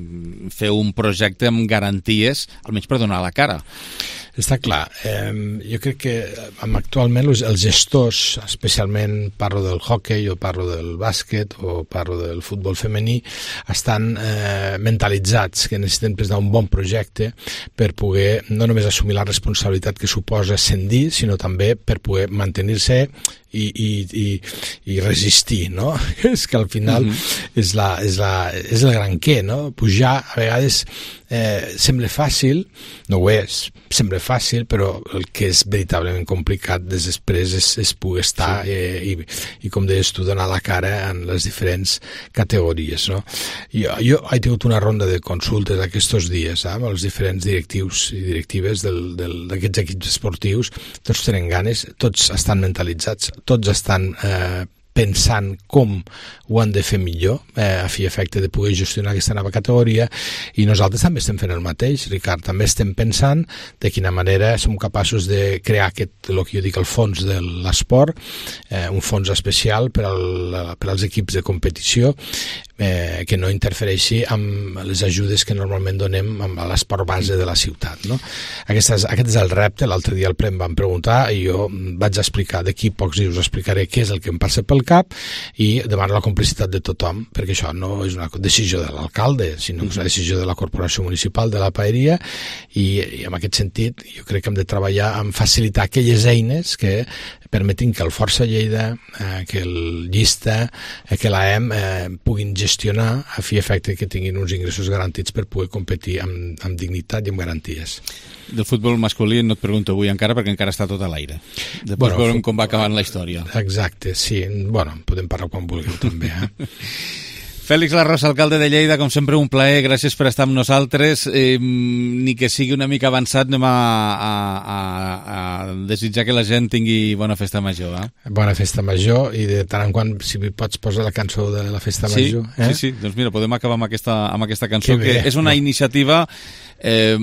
S1: fer un projecte amb garanties, almenys per donar la cara.
S24: Està clar. Jo crec que actualment els gestors, especialment parlo del hockey o parlo del bàsquet o parlo del futbol femení, estan mentalitzats que necessiten presentar un bon projecte per poder no només assumir la responsabilitat que suposa ascendir, sinó també per poder mantenir-se i resistir, no? És que al final és el gran què, no? Pujar a vegades sembla fàcil, no ho és, sembla fàcil, però el que és veritablement complicat després és poder estar i com deies tu, donar la cara en les diferents categories, no? Jo he tingut una ronda de consultes aquests dies amb els diferents directius i directives d'aquests equips esportius. Tots tenen ganes, tots estan mentalitzats, tots estan pensant com ho han de fer millor a fi i efecte de poder gestionar aquesta nova categoria, i nosaltres també estem fent el mateix, Ricard, també estem pensant de quina manera som capaços de crear el que jo dic el fons de l'esport, un fons especial per als equips de competició, que no interfereixi amb les ajudes que normalment donem a l'esport base de la ciutat, no? Aquest és el repte. L'altre dia al ple em van preguntar i jo vaig explicar, d'aquí pocs dies us explicaré què és el que em passa pel cap i demano la complicitat de tothom, perquè això no és una decisió de l'alcalde, sinó que és una decisió de la Corporació Municipal de la Paeria, i en aquest sentit jo crec que hem de treballar en facilitar aquelles eines que permetin que el Força Lleida, que el Llista, que l'AEM puguin gestionar a fi i efecte que tinguin uns ingressos garantits per poder competir amb dignitat i amb garanties.
S1: Del futbol masculí no et pregunto avui encara, perquè encara està tot a l'aire. Després veurem com va acabant la història.
S24: Exacte, sí. Bueno, podem parlar quan vulgueu també,
S1: Fèlix Larrosa, alcalde de Lleida, com sempre un plaer, gràcies per estar amb nosaltres. Ni que sigui una mica avançat, anem a desitjar que la gent tingui bona festa major.
S24: Bona festa major, i de tant en quant, si pots posar la cançó de la festa major.
S1: Sí, doncs mira, podem acabar amb aquesta cançó, que és una iniciativa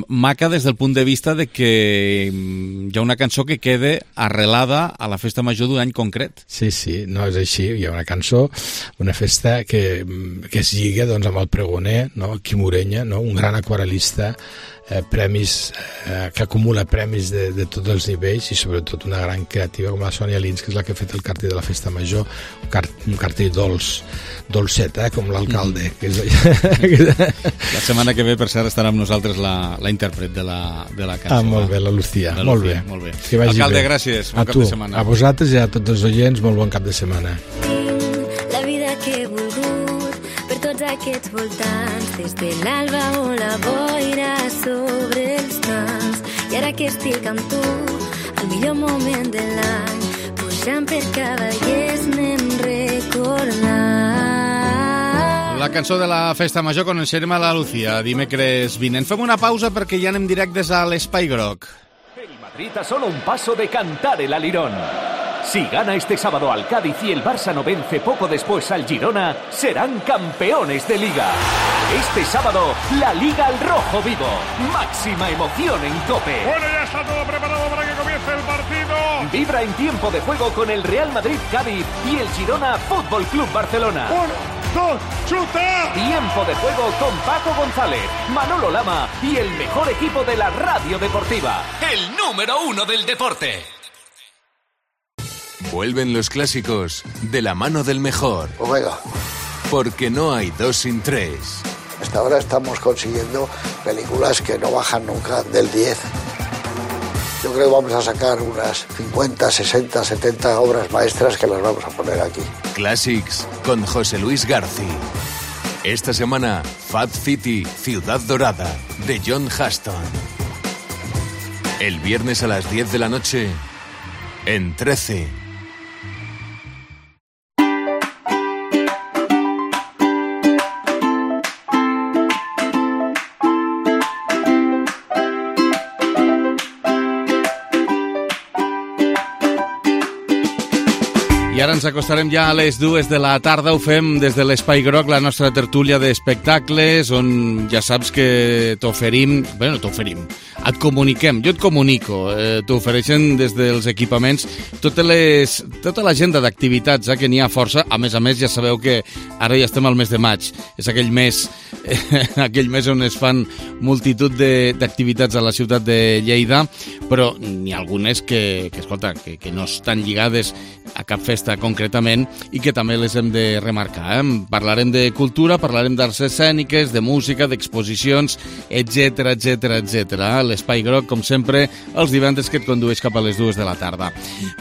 S1: maca des del punt de vista de que hi ha una cançó que quede arrelada a la festa major d'un any concret.
S24: Sí, no, és així, hi ha una cançó, una festa que es lliga doncs, amb el pregoner, no? Quim Orenya, no? Un gran aquarel·lista, premis, que acumula premis de tots els nivells, i sobretot una gran creativa com la Sònia Lins, que és la que ha fet el cartell de la festa major, un cartell dolcet, com l'alcalde.
S1: La setmana que ve, per cert, estarà amb nosaltres la intèrpret de la cançó.
S24: Molt bé, la Lucía. Molt bé.
S1: Alcalde, gràcies. Bon cap de setmana.
S24: A vosaltres i a tots els oients, molt bon cap de setmana.
S8: La vida que he volgut per tots aquests voltants, des de l'alba o la boira sobre els camps, i ara que estic amb tu, el millor moment de l'any, pujant per Cavallers anem tornar.
S1: La cançó de la Festa Major coneixerem a la Lucía dimecres vinent. Fem una pausa perquè ja anem directes a l'Espai Groc.
S9: El Madrid a solo un paso de cantar el alirón. Si gana este sábado al Cádiz y el Barça no vence poco después al Girona, serán campeones de Liga. Este sábado, la Liga al rojo vivo. Máxima emoción en COPE.
S10: Bueno, ya está todo preparado para que comience el partido.
S9: Vibra en tiempo de juego con el Real Madrid-Cádiz y el Girona Fútbol Club Barcelona.
S10: 1, 2, ¡chuta!
S9: Tiempo de juego con Paco González, Manolo Lama y el mejor equipo de la radio deportiva.
S18: El número 1 del deporte. Vuelven los clásicos de la mano del mejor.
S11: Omega.
S18: Porque no hay 2 sin 3.
S11: Hasta ahora estamos consiguiendo películas que no bajan nunca del 10. Yo creo que vamos a sacar unas 50, 60, 70 obras maestras que las vamos a poner aquí.
S18: Classics con José Luis García. Esta semana, Fat City, Ciudad Dorada, de John Huston. El viernes a las 10 de la noche, en 13.
S1: I ara ens acostarem ja a les 2 de la tarda. Ho fem des de l'Espai Groc, la nostra tertúlia d'espectacles, on ja saps que t'oferim... Bueno, t'oferim. Et comuniquem. Jo et comunico. T'ofereixen des dels equipaments tota l'agenda d'activitats, que n'hi ha força. A més, ja sabeu que ara ja estem al mes de maig. És aquell mes on es fan multitud d'activitats a la ciutat de Lleida, però n'hi ha algunes que no estan lligades a cap festa concretament i que també les hem de remarcar. Parlarem de cultura, parlarem d'arts escèniques, de música, d'exposicions, etc. L'Espai Groc, com sempre, els divendres que et condueix cap a les 2 de la tarda.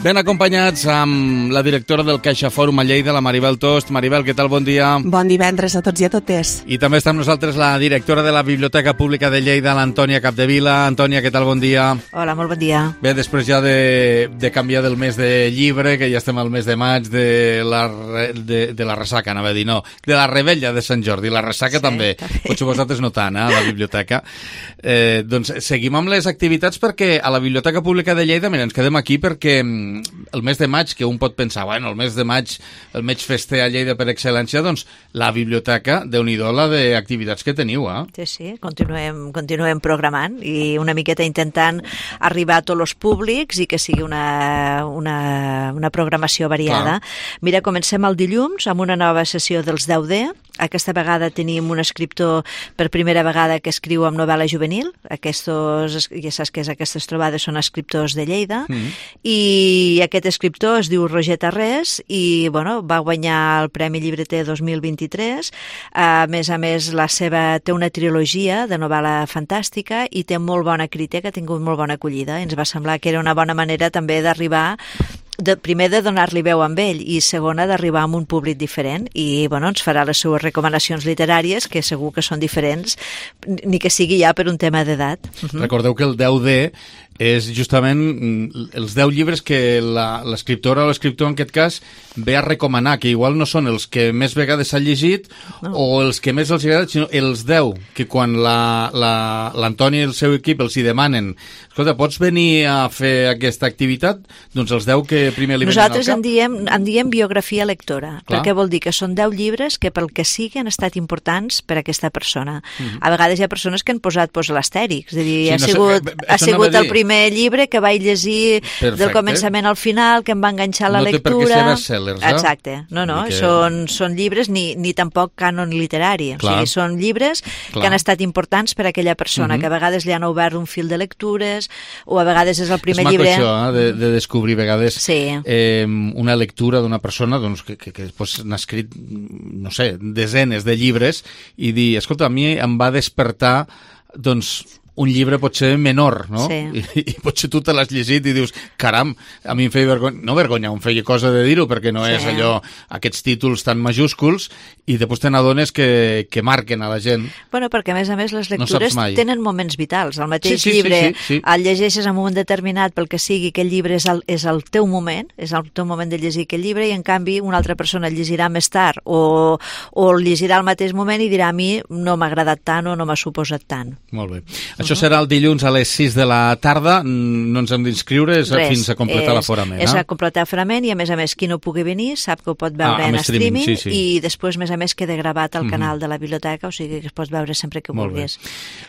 S1: Ben acompanyats amb la directora del Caixa Fòrum a Lleida, la Maribel Tost. Maribel, què tal? Bon dia.
S13: Bon divendres a tots i a totes.
S1: I també està amb nosaltres la directora de la Biblioteca Pública de Lleida, l'Antònia Capdevila. Antònia, què tal? Bon dia.
S13: Hola, molt bon dia.
S1: Bé, després ja de canviar del mes de llibre, que ja estem al mes de maig, de la ressaca, anava a dir, no, de la rebella de Sant Jordi, la ressaca també. Potser vosaltres no tant, a la biblioteca. Doncs seguim amb les activitats perquè a la Biblioteca Pública de Lleida, mira, ens quedem aquí perquè el mes de maig, que un pot pensar, bueno, el mes de maig, el mes fester a Lleida per excel·lència, doncs la biblioteca, Déu-n'hi-do la d'activitats que teniu,
S13: Sí, continuem programant i una miqueta intentant arribar a tots els públics i que sigui una programació variada. Mira, comencem el dilluns amb una nova sessió dels 10D. Aquesta vegada tenim un escriptor per primera vegada que escriu amb novel·la juvenil. Ja saps que aquestes trobades són escriptors de Lleida. I aquest escriptor es diu Roger Tarrés i va guanyar el Premi Llibreter 2023. A més, té una trilogia de novel·la fantàstica i té molt bona crítica, ha tingut molt bona acollida. Ens va semblar que era una bona manera també d'arribar primer de donar-li veu amb ell i segona d'arribar amb un públic diferent i ens farà les seues recomanacions literàries que segur que són diferents ni que sigui ja per un tema d'edat.
S1: Recordeu que el 10D és justament els 10 llibres que l'escriptora o l'escriptor en aquest cas ve a recomanar, que igual no són els que més vegades s'ha llegit o els que més els agrada, sinó els 10 que quan l'Antònia i el seu equip els hi demanen, escolta, pots venir a fer aquesta activitat? Doncs els 10 que primer li venen al cap.
S13: Nosaltres en diem biografia lectora, perquè vol dir que són 10 llibres que pel que sigui han estat importants per a aquesta persona. A vegades hi ha persones que han posat l'astèric, és a dir, ha sigut el primer llibre que vaig llegir del començament al final, que em va enganxar la lectura.
S1: No té per què ser bestsellers,
S13: Exacte. No, són llibres ni tampoc cànon literari. O sigui, són llibres que han estat importants per a aquella persona, que a vegades li han obert un fil de lectures, o a vegades és el primer llibre...
S1: És maco això, de descobrir a vegades una lectura d'una persona que després n'ha escrit, no sé, desenes de llibres i dir, escolta, a mi em va despertar un llibre potser menor, no?
S13: Sí.
S1: I potser tu te l'has llegit i dius, caram, a mi em feia vergonya, no vergonya, em feia cosa de dir-ho, perquè no és allò, aquests títols tan majúsculs, i després te n'adones que marquen a la gent.
S13: Bueno, perquè a més les lectures tenen moments vitals. El mateix llibre el llegeixes en un moment determinat pel que sigui, aquell llibre és el teu moment, és el teu moment de llegir aquell llibre, i en canvi una altra persona el llegirà més tard o el llegirà al mateix moment i dirà, a mi no m'ha agradat tant o no m'ha suposat tant.
S1: Molt bé. Això serà el dilluns a les 6 de la tarda, no ens hem d'inscriure, fins a completar l'aforament.
S13: És a completar l'aforament, i a més, qui no pugui venir sap que ho pot veure en streaming, i després, a més, queda gravat al canal de la biblioteca, o sigui que es pot veure sempre que vulguis.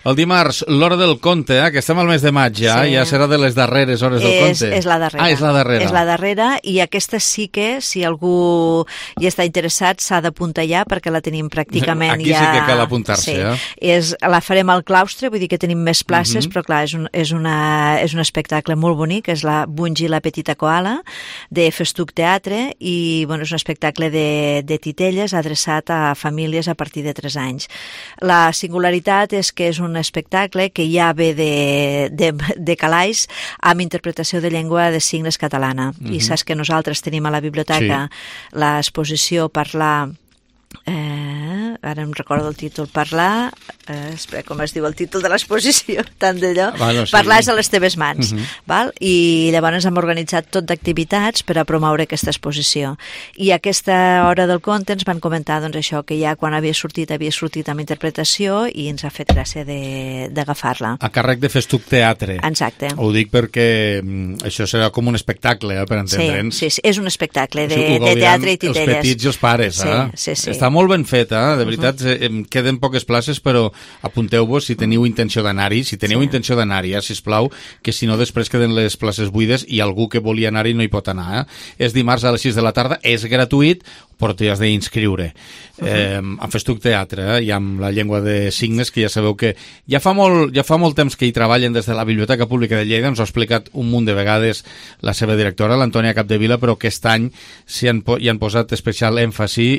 S1: El dimarts, l'hora del conte, que estem al mes de maig ja serà de les darreres hores del conte.
S13: És la darrera.
S1: És la darrera.
S13: És la darrera, i aquesta sí que, si algú hi està interessat, s'ha d'apuntar ja, perquè la tenim pràcticament
S1: Aquí sí que cal apuntar-se,
S13: La farem al claustre, vull dir que tenim més places, però clar, és un espectacle molt bonic, és la Bungi la petita koala, de Festuc Teatre, i és un espectacle de titelles adreçat a famílies a partir de 3 anys. La singularitat és que és un espectacle que ja ve de calaix amb interpretació de llengua de signes catalana. I saps que nosaltres tenim a la biblioteca l'exposició Parlar... ara em recordo el títol, Parlar... espera, com es diu el títol de l'exposició? Tant d'allò. Parlar és a les teves mans. Val? I llavors hem organitzat tot d'activitats per a promoure aquesta exposició. I a aquesta hora del conte ens van comentar això, que ja quan havia sortit amb interpretació, i ens ha fet gràcia d'agafar-la.
S1: A càrrec de Festuc Teatre.
S13: Exacte.
S1: Ho dic perquè això serà com un espectacle, per entendre'ns.
S13: Sí, és un espectacle de teatre i titelles.
S1: Els petits i els pares,
S13: Sí.
S1: Està molt ben fet, de veritat, queden poques places, però apunteu-vos si teniu intenció d'anar-hi, intenció d'anar-hi, sisplau, que si no després queden les places buides i algú que volia anar-hi no hi pot anar. És dimarts a les 6 de la tarda, és gratuït, però t'hi has d'inscriure. Amb Festuc Teatre i amb la llengua de signes, que ja sabeu que ja fa molt temps que hi treballen des de la Biblioteca Pública de Lleida, ens ho ha explicat un munt de vegades la seva directora, l'Antònia Capdevila, però aquest any hi han posat especial èmfasi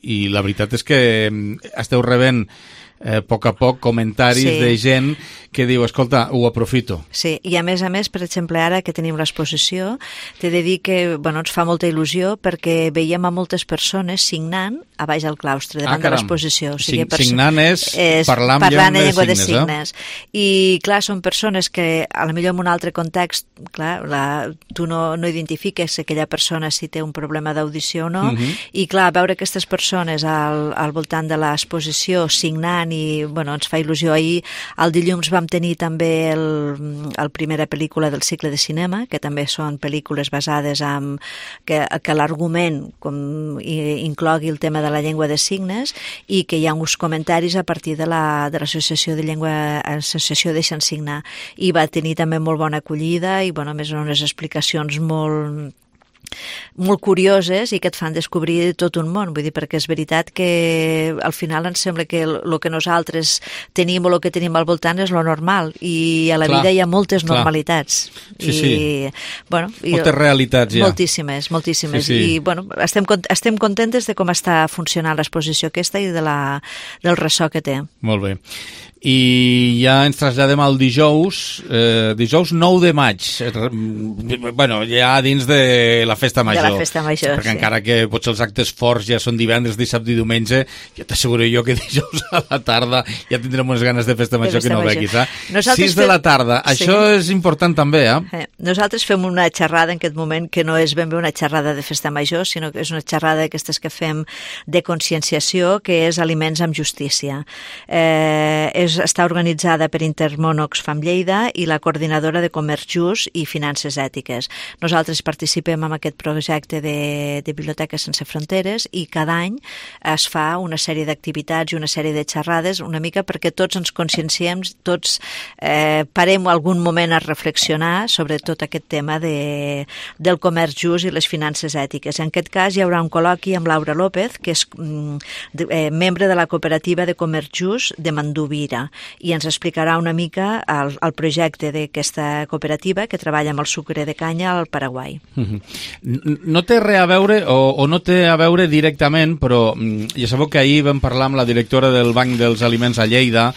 S1: i la veritat és que esteu rebent a poc comentaris de gent que diu, escolta, ho aprofito.
S13: Sí, i a més, per exemple, ara que tenim l'exposició, t'he de dir que ens fa molta il·lusió perquè veiem a moltes persones signant a baix al claustre, davant de l'exposició. O sigui,
S1: signant és parlar en llengua de signes.
S13: I, clar, són persones que, a la millor en un altre context, clar, tu no identifiques aquella persona si té un problema d'audició o no, i, clar, veure aquestes persones al voltant de l'exposició signant, i ens fa il·lusió. Ahir, el dilluns, vam tenir també la primera pel·lícula del cicle de cinema, que també són pel·lícules basades en que l'argument inclogui el tema de la llengua de signes, i que hi ha uns comentaris a partir de l'associació de llengua, l'associació Deixa'ns Signar, i va tenir també molt bona acollida i a més unes explicacions molt curioses i que et fan descobrir tot un món, vull dir, perquè és veritat que al final ens sembla que el que nosaltres tenim o el que tenim al voltant és lo normal, i a la vida hi ha moltes normalitats.
S1: Moltes realitats ja.
S13: Moltíssimes. I estem contentes de com està funcionant l'exposició aquesta i del ressò que té.
S1: Molt bé. I ja ens traslladem al dijous 9 de maig, ja dins de la festa major.
S13: De la festa major,
S1: perquè encara que potser els actes forts ja són divendres, dissabte i diumenge, ja t'asseguro jo que dijous a la tarda ja tindrem unes ganes de festa major que no veguis. 6 de la tarda, això és important també,
S13: Nosaltres fem una xerrada en aquest moment que no és ben bé una xerrada de festa major, sinó que és una xerrada d'aquestes que fem de conscienciació, que és Aliments amb Justícia. Està organitzada per Intermón Oxfam Lleida i la Coordinadora de Comerç Just i Finances Ètiques. Nosaltres participem en aquest projecte de Biblioteques Sense Fronteres, i cada any es fa una sèrie d'activitats i una sèrie de xerrades, una mica perquè tots ens conscienciem, tots parem algun moment a reflexionar sobre tot aquest tema del comerç just i les finances ètiques. En aquest cas hi haurà un col·loqui amb Laura López, que és membre de la cooperativa de comerç just de Manduvira, i ens explicarà una mica el projecte d'aquesta cooperativa que treballa amb el sucre de canya al Paraguai.
S1: No té res a veure, o no té a veure directament, però ja sabeu que ahir vam parlar amb la directora del Banc dels Aliments a Lleida,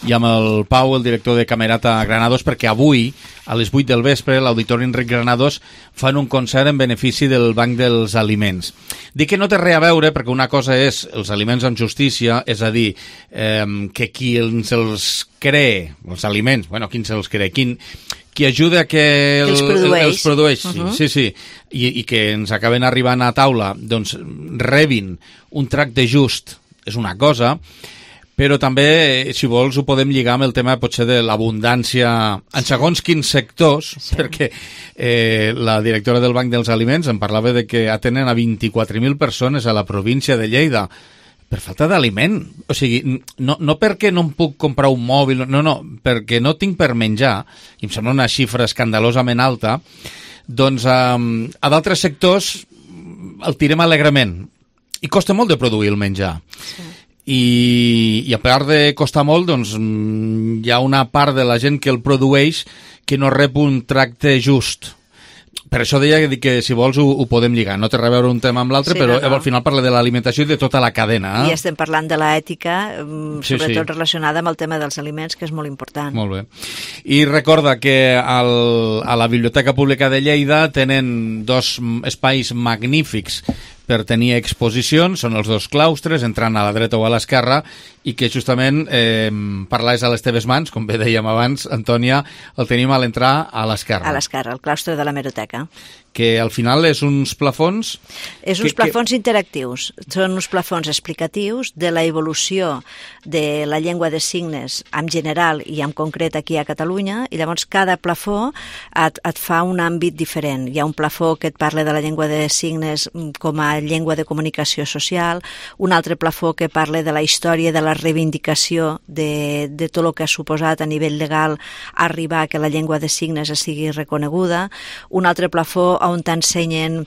S1: i amb el Pau, el director de Camerata Granados, perquè avui, a les 8 del vespre, l'Auditori Enric Granados fan un concert en benefici del Banc dels Aliments. Dic que no té res a veure, perquè una cosa és els aliments amb justícia, és a dir, que qui ens els cree, els aliments, bueno, qui ens els cree, qui ajuda a que els produeix sí, i que ens acaben arribant a taula, doncs rebin un tracte just, és una cosa, però també, si vols, ho podem lligar amb el tema potser de l'abundància en segons quins sectors, perquè la directora del Banc dels Aliments em parlava de que atenen a 24.000 persones a la província de Lleida per falta d'aliment. O sigui, no perquè no em puc comprar un mòbil, no, perquè no tinc per menjar, i em sembla una xifra escandalosament alta, doncs a d'altres sectors el tirem alegrement. I costa molt de produir el menjar. Sí. I a part de costar molt, doncs hi ha una part de la gent que el produeix que no rep un tracte just. Per això deia que si vols ho podem lligar. No té res a veure un tema amb l'altre, però al final parla de l'alimentació i de tota la cadena.
S13: I estem parlant de l'ètica, sobretot relacionada amb el tema dels aliments, que és molt important.
S1: Molt bé. I recorda que a la Biblioteca Pública de Lleida tenen 2 espais magnífics per tenir exposicions, són els 2 claustres, entrant a la dreta o a l'esquerra, i que justament parlais a les teves mans, com bé dèiem abans, Antònia, el tenim a l'entrar a l'esquerra.
S13: A l'esquerra, el claustre de l'hemeroteca.
S1: Que al final és uns plafons...
S13: És uns plafons interactius, són uns plafons explicatius de la evolució de la llengua de signes en general i en concret aquí a Catalunya, i llavors cada plafó et fa un àmbit diferent. Hi ha un plafó que et parla de la llengua de signes com a llengua de comunicació social, un altre plafó que parla de la història de la reivindicació de tot el que ha suposat a nivell legal arribar a que la llengua de signes sigui reconeguda, un altre plafó on t'ensenyen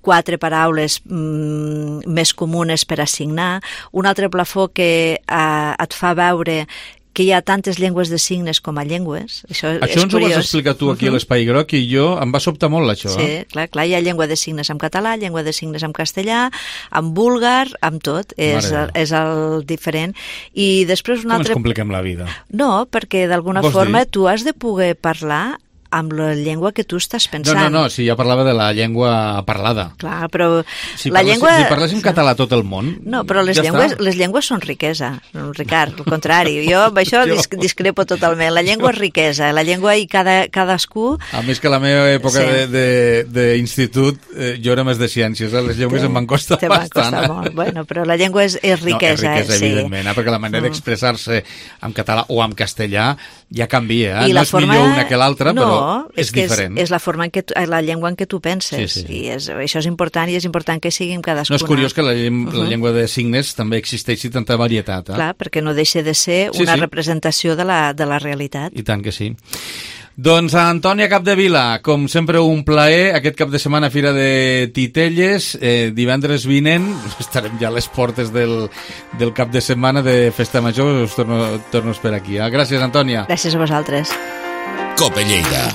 S13: 4 paraules més comunes per assignar, un altre plafó que et fa veure que hi ha tantes llengües de signes com a llengües. Això
S1: ens ho vas explicar tu aquí a l'Espai Groc i jo em va sobtar molt això.
S13: Sí, clar, hi ha llengua de signes en català, llengua de signes en castellà, en búlgar, amb tot, és el diferent. I després un altre...
S1: Com ens compliquem la vida?
S13: No, perquè d'alguna forma tu has de poder parlar amb la llengua que tu estàs pensant.
S1: No, si ja parlava de la llengua parlada.
S13: Clar, però
S1: si parléssim català tot el món...
S13: No, però les llengües són riquesa, Ricard, al contrari. Jo amb això discrepo totalment. La llengua és riquesa, la llengua i cadascú...
S1: A més que la meva època d'institut jo era més de ciències, les llengües em van costar bastant.
S13: Te van costar molt, bueno, però la llengua és riquesa.
S1: No, és riquesa, evidentment, perquè la manera d'expressar-se en català o en castellà ja canvia, no és millor una que l'altra, però és diferent.
S13: És la forma la llengua en què tu penses. Sí. I això és important, i és important que sigui en cadascuna.
S1: No, és curiós que la llengua de signes també existeixi tanta varietat.
S13: Clar, perquè no deixa de ser una representació de la realitat.
S1: I tant que sí. Doncs Antònia Capdevila, com sempre un plaer, aquest cap de setmana Fira de Titelles, divendres vinent, estarem ja a les portes del cap de setmana de Festa Major, us torno a esperar aquí. Gràcies, Antònia.
S13: Gràcies a vosaltres.
S18: Cope Lleida.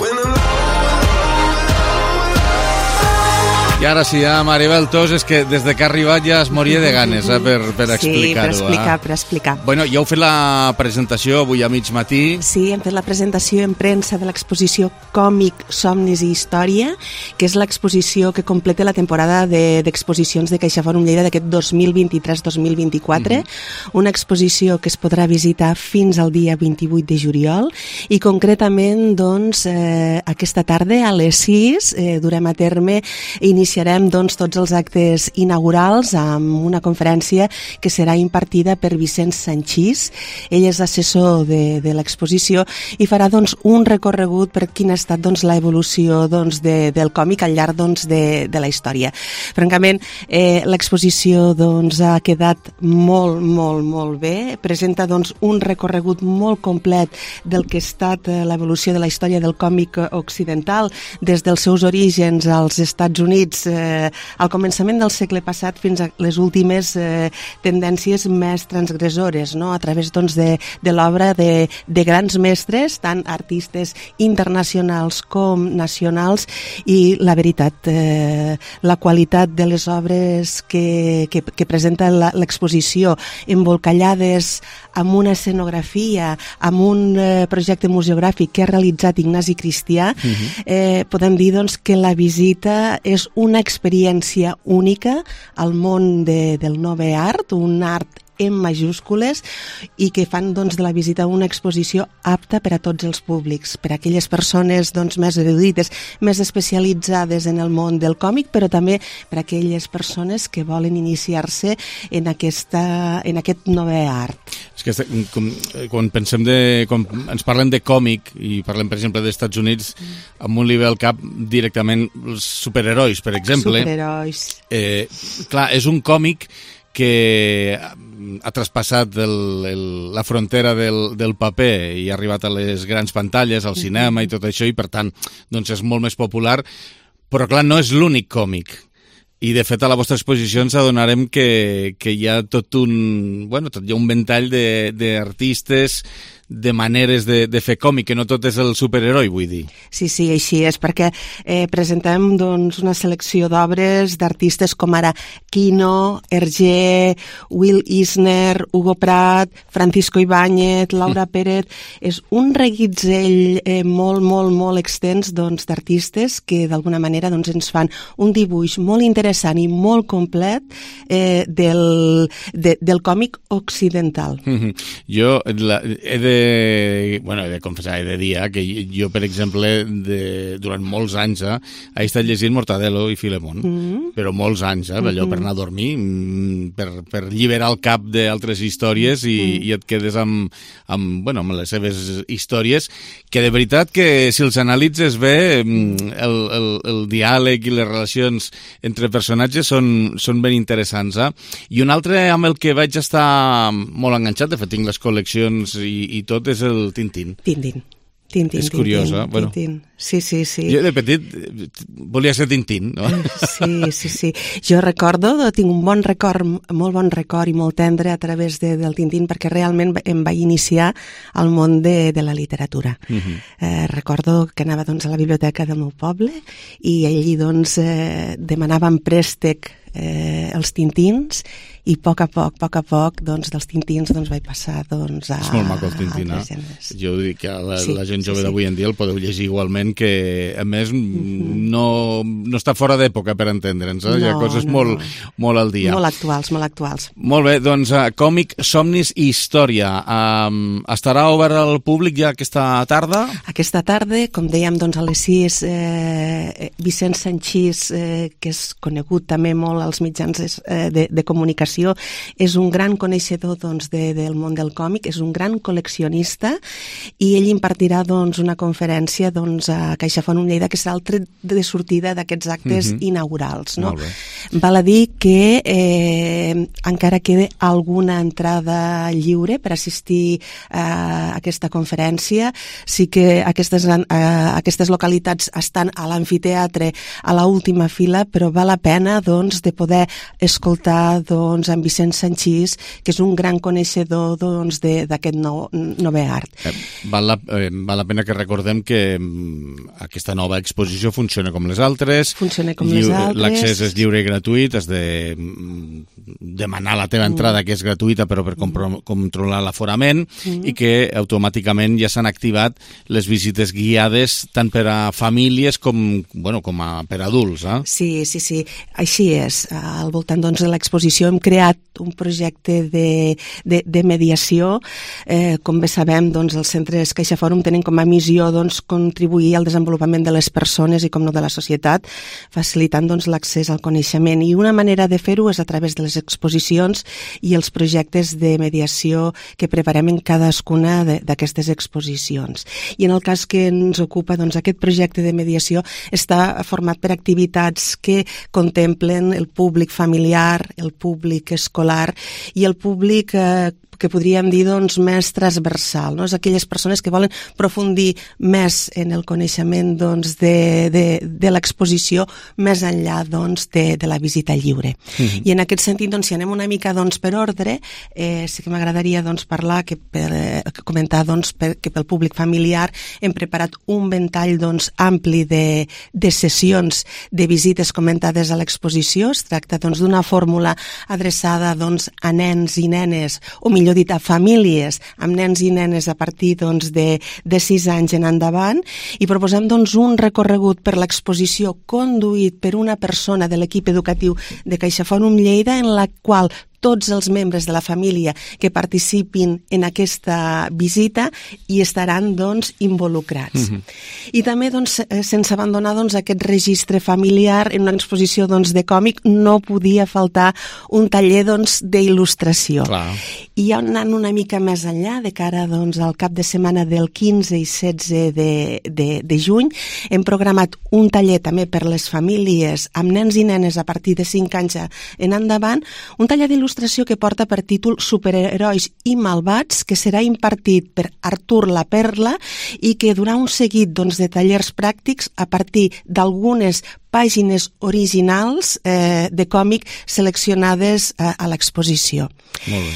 S1: I ara sí, Maribel Tos, és que des que ha arribat ja es moria de ganes per explicar-ho.
S12: Sí, per explicar.
S1: Bueno, ja heu fet la presentació avui a mig matí.
S12: Sí, hem fet la presentació en premsa de l'exposició Còmic, Somnis i Història, que és l'exposició que completa la temporada d'exposicions de CaixaForum Lleida d'aquest 2023-2024, una exposició que es podrà visitar fins al dia 28 de juliol, i concretament, doncs, aquesta tarda a les 6 durem a terme iniciarem doncs, tots els actes inaugurals amb una conferència que serà impartida per Vicenç Sanchís. Ell és assessor de l'exposició i farà doncs, un recorregut per quina ha estat doncs, l'evolució doncs, del còmic al llarg doncs, de la història. Francament, l'exposició doncs, ha quedat molt, molt, molt bé. Presenta doncs, un recorregut molt complet del que ha estat l'evolució de la història del còmic occidental des dels seus orígens als Estats Units Units al començament del segle passat fins a les últimes tendències més transgressores, no? A través doncs, de l'obra de grans mestres, tant artistes internacionals com nacionals, i la veritat, la qualitat de les obres que presenta l'exposició, embolcallades amb una escenografia, amb un projecte museogràfic que ha realitzat Ignasi Cristià, podem dir doncs, que la visita és una experiència única al món del Nove Art, un art en majúscules, i que fan doncs, de la visita una exposició apta per a tots els públics, per a aquelles persones doncs, més erudites, més especialitzades en el món del còmic, però també per a aquelles persones que volen iniciar-se en aquest Nove Art.
S1: És que quan ens parlem de còmic i parlem, per exemple, dels Estats Units, amb un li ve al cap directament els superherois, per exemple.
S12: Superherois.
S1: Clar, és un còmic que ha traspassat la frontera del paper i ha arribat a les grans pantalles, al cinema i tot això, i per tant doncs és molt més popular, però clar, no és l'únic còmic. I de fet a la vostra exposició ens adonarem que hi ha tot un ventall d'artistes, de maneres de fer còmic, que no tot és el superheroi, vull dir.
S12: Sí, així és, perquè presentem doncs, una selecció d'obres d'artistes com ara Quino, Hergé, Will Eisner, Hugo Pratt, Francisco Ibáñez, Laura Pérez. És un reguitzell molt extens doncs, d'artistes que d'alguna manera doncs, ens fan un dibuix molt interessant i molt complet del còmic occidental.
S1: Jo he de confessar, he de dir que jo, per exemple, durant molts anys he estat llegint Mortadelo i Filemón, però molts anys, allò per anar a dormir, per alliberar el cap d'altres històries i et quedes amb les seves històries, que de veritat que si els analitzes bé, el diàleg i les relacions entre personatges són ben interessants. I un altre amb el que vaig estar molt enganxat, de fet tinc les col·leccions i tot, és el Tintín.
S12: Tintín.
S1: És curiós, bueno.
S12: Sí.
S1: Jo de petit volia ser Tintín, no?
S12: Sí. Jo tinc un molt bon record i molt tendre a través del Tintín, perquè realment em vaig iniciar al món de la literatura. Recordo que anava doncs, a la biblioteca del meu poble i allí doncs, demanàvem préstec els Tintins, i a poc a poc doncs, dels Tintins doncs, vaig passar doncs, a...
S1: És molt maco el Tintín, Jo dic que la gent jove d'avui en dia el podeu llegir igualment, que a més no està fora d'època, per entendre'ns, hi ha coses molt al dia.
S12: Molt actuals.
S1: Molt bé, doncs còmic, somnis i història. Estarà obert al públic ja aquesta tarda?
S12: Aquesta tarda, com dèiem, doncs, a les 6, Vicent Sanchís, que és conegut també molt als mitjans de comunicació, és un gran coneixedor doncs, del món del còmic, és un gran col·leccionista, i ell impartirà doncs, una conferència doncs, a CaixaFont Lleida, que serà el tret de sortida d'aquests actes inaugurals. No? Val a dir que encara queda alguna entrada lliure per assistir a aquesta conferència. Sí que aquestes localitats estan a l'amfiteatre, a l'última fila, però val la pena doncs, de poder escoltar doncs, en Vicent Sanchís, que és un gran coneixedor doncs, d'aquest Nove Art.
S1: Val la pena que recordem que aquesta nova exposició funciona com les altres. L'accés és lliure i gratuït, has de demanar la teva entrada, que és gratuïta, però per controlar l'aforament, i que automàticament ja s'han activat les visites guiades tant per a famílies com per a adults.
S12: Sí, així és. Al voltant doncs, de l'exposició hem creat un projecte de mediació. Com bé sabem, doncs, els centres CaixaForum tenen com a missió doncs, contribuir al desenvolupament de les persones i com no de la societat, facilitant doncs, l'accés al coneixement. I una manera de fer-ho és a través de les exposicions i els projectes de mediació que preparem en cadascuna d'aquestes exposicions. I en el cas que ens ocupa, doncs, aquest projecte de mediació està format per activitats que contemplen el públic familiar, el públic escolar i el públic que podríem dir doncs, més transversal, no? És aquelles persones que volen profundir més en el coneixement doncs, de l'exposició més enllà doncs, de la visita lliure. I en aquest sentit, doncs, si anem una mica doncs, per ordre, sí que m'agradaria doncs, parlar, comentar doncs, que pel públic familiar hem preparat un ventall doncs, ampli de sessions de visites comentades a l'exposició. Es tracta doncs, d'una fórmula adreçada doncs, a nens i nenes, o millor dit, a famílies amb nens i nenes a partir doncs, de 6 anys en endavant, i proposem doncs, un recorregut per l'exposició conduït per una persona de l'equip educatiu de CaixaForum Lleida, en la qual tots els membres de la família que participin en aquesta visita hi estaran doncs, involucrats. I també, doncs, sense abandonar doncs, aquest registre familiar, en una exposició doncs, de còmic no podia faltar un taller doncs, d'il·lustració. I ja anant una mica més enllà, de cara doncs, al cap de setmana del 15 i 16 de juny, hem programat un taller també per les famílies amb nens i nenes a partir de 5 anys en endavant, un taller d'il·lustració que porta per títol Superherois i Malvats, que serà impartit per Artur La Perla i que durà un seguit doncs, de tallers pràctics a partir d'algunes pàgines originals de còmic seleccionades a l'exposició.
S1: Molt bé.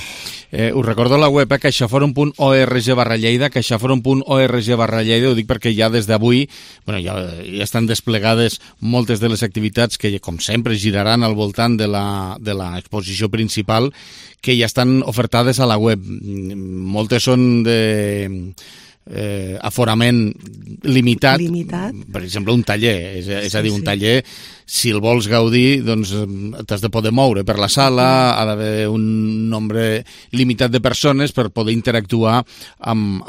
S1: Us recordo la web, caixaforum.org/Lleida, caixaforum.org/Lleida, ho dic perquè ja des d'avui ja estan desplegades moltes de les activitats que, com sempre, giraran al voltant de l'exposició principal, que ja estan ofertades a la web. Moltes són de aforament limitat. Per exemple, un taller, és a dir, un taller, si el vols gaudir, doncs t'has de poder moure per la sala, ha d'haver un nombre limitat de persones per poder interactuar en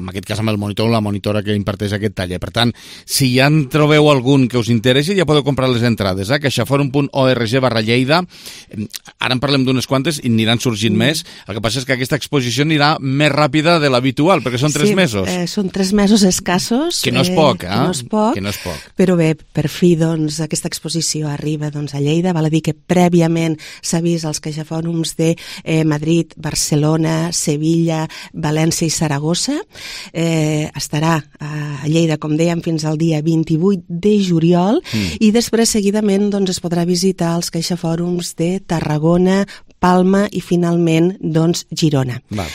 S1: aquest cas amb el monitor o la monitora que imparteix aquest taller. Per tant, si ja en trobeu algun que us interessi, ja podeu comprar les entrades, caixaforum.org/Lleida. Ara en parlem d'unes quantes i aniran sorgint més. El que passa és que aquesta exposició anirà més ràpida de l'habitual, perquè són 3 mesos.
S12: Són 3 mesos escassos.
S1: Que no és poc,
S12: Que no és poc. Però bé, per fi, doncs, aquesta exposició arriba doncs, a Lleida. Val a dir que prèviament s'ha vist als caixafòrums de Madrid, Barcelona, Sevilla, València i Saragossa. Estarà a Lleida, com dèiem, fins al dia 28 de juliol i després, seguidament, doncs, es podrà visitar els caixafòrums de Tarragona, Palma i, finalment, doncs, Girona.
S1: Val.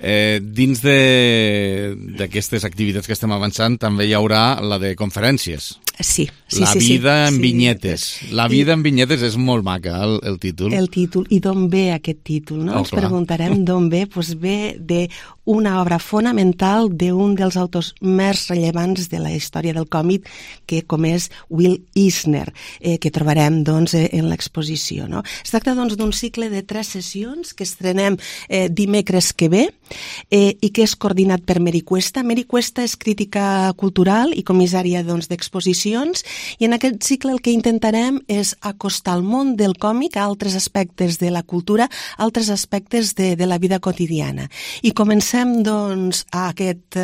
S1: Dins d'aquestes activitats que estem avançant també hi haurà la de conferències.
S12: Sí.
S1: La vida en vinyetes. La vida en vinyetes és molt maca, el títol.
S12: El títol. I d'on ve aquest títol? No? Ens preguntarem d'on ve. Doncs ve d'una obra fonamental d'un dels autors més rellevants de la història del còmic, que com és Will Eisner, que trobarem doncs, en l'exposició. No? Es tracta doncs, d'un cicle de 3 sessions que estrenem dimecres que ve i que és coordinat per Meri Cuesta. Meri Cuesta és crítica cultural i comissària doncs, d'exposicions, i en aquest cicle el que intentarem és acostar el món del còmic a altres aspectes de la cultura, a altres aspectes de la vida quotidiana. I comencem doncs, aquest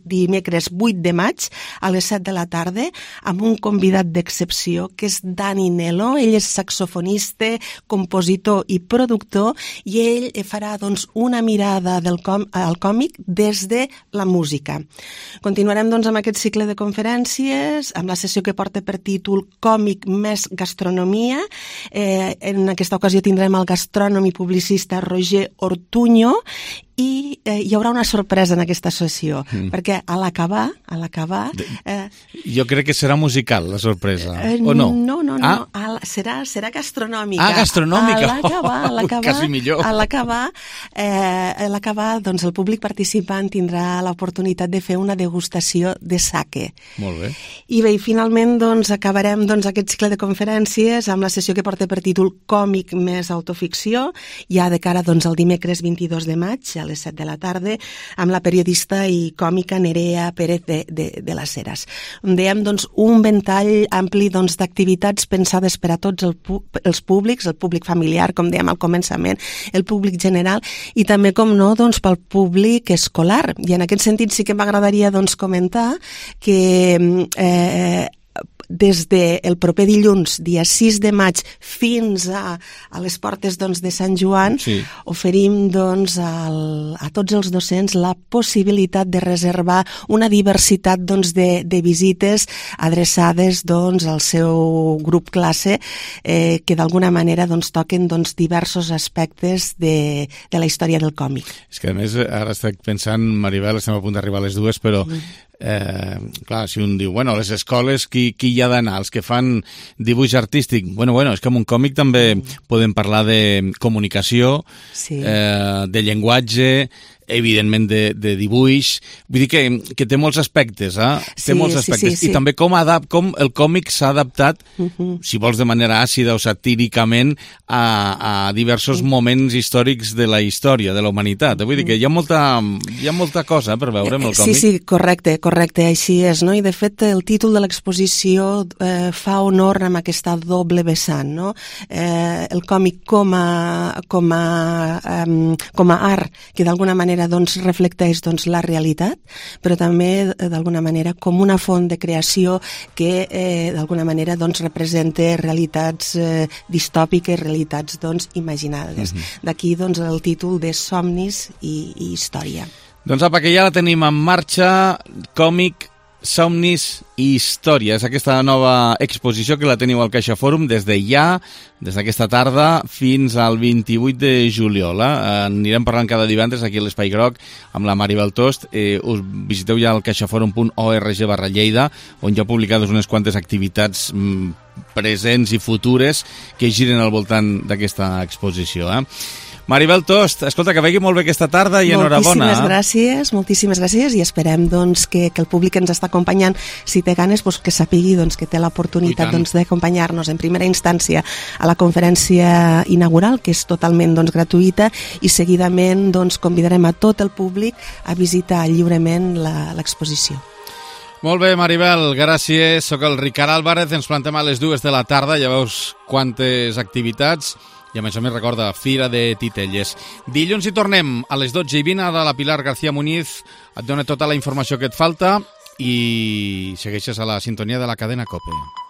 S12: dimecres 8 de maig a les 7 de la tarda amb un convidat d'excepció que és Dani Nelo. Ell és saxofonista, compositor i productor, i ell farà doncs, una mirada al còmic des de la música. Continuarem doncs, amb aquest cicle de conferències, amb la sessió que porta per títol Còmic més gastronomia. En aquesta ocasió tindrem el gastrònom i publicista Roger Ortuño, i hi haurà una sorpresa en aquesta sessió, perquè a l'acabar...
S1: Jo crec que serà musical, la sorpresa, o no?
S12: No. Serà gastronòmica.
S1: Gastronòmica!
S12: A l'acabar,
S1: quasi millor.
S12: A l'acabar, doncs el públic participant tindrà l'oportunitat de fer una degustació de sake.
S1: Molt bé.
S12: I bé, finalment doncs, acabarem doncs, aquest cicle de conferències amb la sessió que porta per títol Còmic més autoficció, ja de cara doncs, al dimecres 22 de maig, a les 7 de la tarda, amb la periodista i còmica Nerea Pérez de les Heras. Dèiem, doncs, un ventall ampli doncs, d'activitats pensades per a tots els públics, el públic familiar, com dèiem al començament, el públic general, i també, com no, doncs, pel públic escolar. I en aquest sentit sí que m'agradaria doncs, comentar que des del proper dilluns, dia 6 de maig, fins a les portes de Sant Joan, oferim a tots els docents la possibilitat de reservar una diversitat de visites adreçades al seu grup classe que d'alguna manera toquen diversos aspectes de la història del còmic.
S1: És que a més ara estic pensant, Maribel, estem a punt d'arribar a les dues, però clar, si un diu, bueno, a les escoles qui hi ha d'anar? Els que fan dibuix artístic? Bueno, és que en un còmic també podem parlar de comunicació, de llenguatge, evidentment de dibuix, vull dir que té molts aspectes, té molts aspectes, i també com el còmic s'ha adaptat, si vols de manera àcida o satíricament, a diversos moments històrics de la història, de la humanitat. Vull dir que hi ha molta cosa per veure amb el còmic.
S12: Sí, correcte, així és, no? I de fet el títol de l'exposició fa honor amb aquesta doble vessant, no? El còmic com a art, que d'alguna manera reflecteix la realitat, però també d'alguna manera com una font de creació que d'alguna manera representa realitats distòpiques, realitats imaginades. D'aquí el títol de Somnis i Història.
S1: Doncs apa, que ja la tenim en marxa, còmic, Somnis i Història. És aquesta nova exposició que la teniu al CaixaForum des d'aquesta tarda fins al 28 de juliol. Anirem parlant cada divendres aquí a l'Espai Groc amb la Maribel Tost. Us visiteu ja al caixaforum.org/Lleida, on ja publicades unes quantes activitats presents i futures que giren al voltant d'aquesta exposició. Maribel Tost, escolta, que vagi molt bé aquesta tarda i enhorabona.
S12: Moltíssimes gràcies, i esperem que el públic que ens està acompanyant, si té ganes, que sapigui que té l'oportunitat d'acompanyar-nos en primera instància a la conferència inaugural, que és totalment gratuïta, i seguidament convidarem a tot el públic a visitar lliurement l'exposició.
S1: Molt bé, Maribel, gràcies. Soc el Ricard Álvarez, ens plantem a les 2 de la tarda, ja veus quantes activitats. I a més recorda, Fira de Titelles. Dilluns hi tornem a les 12:20, ara la Pilar García Muñiz et dona tota la informació que et falta i segueixes a la sintonia de la cadena COPE.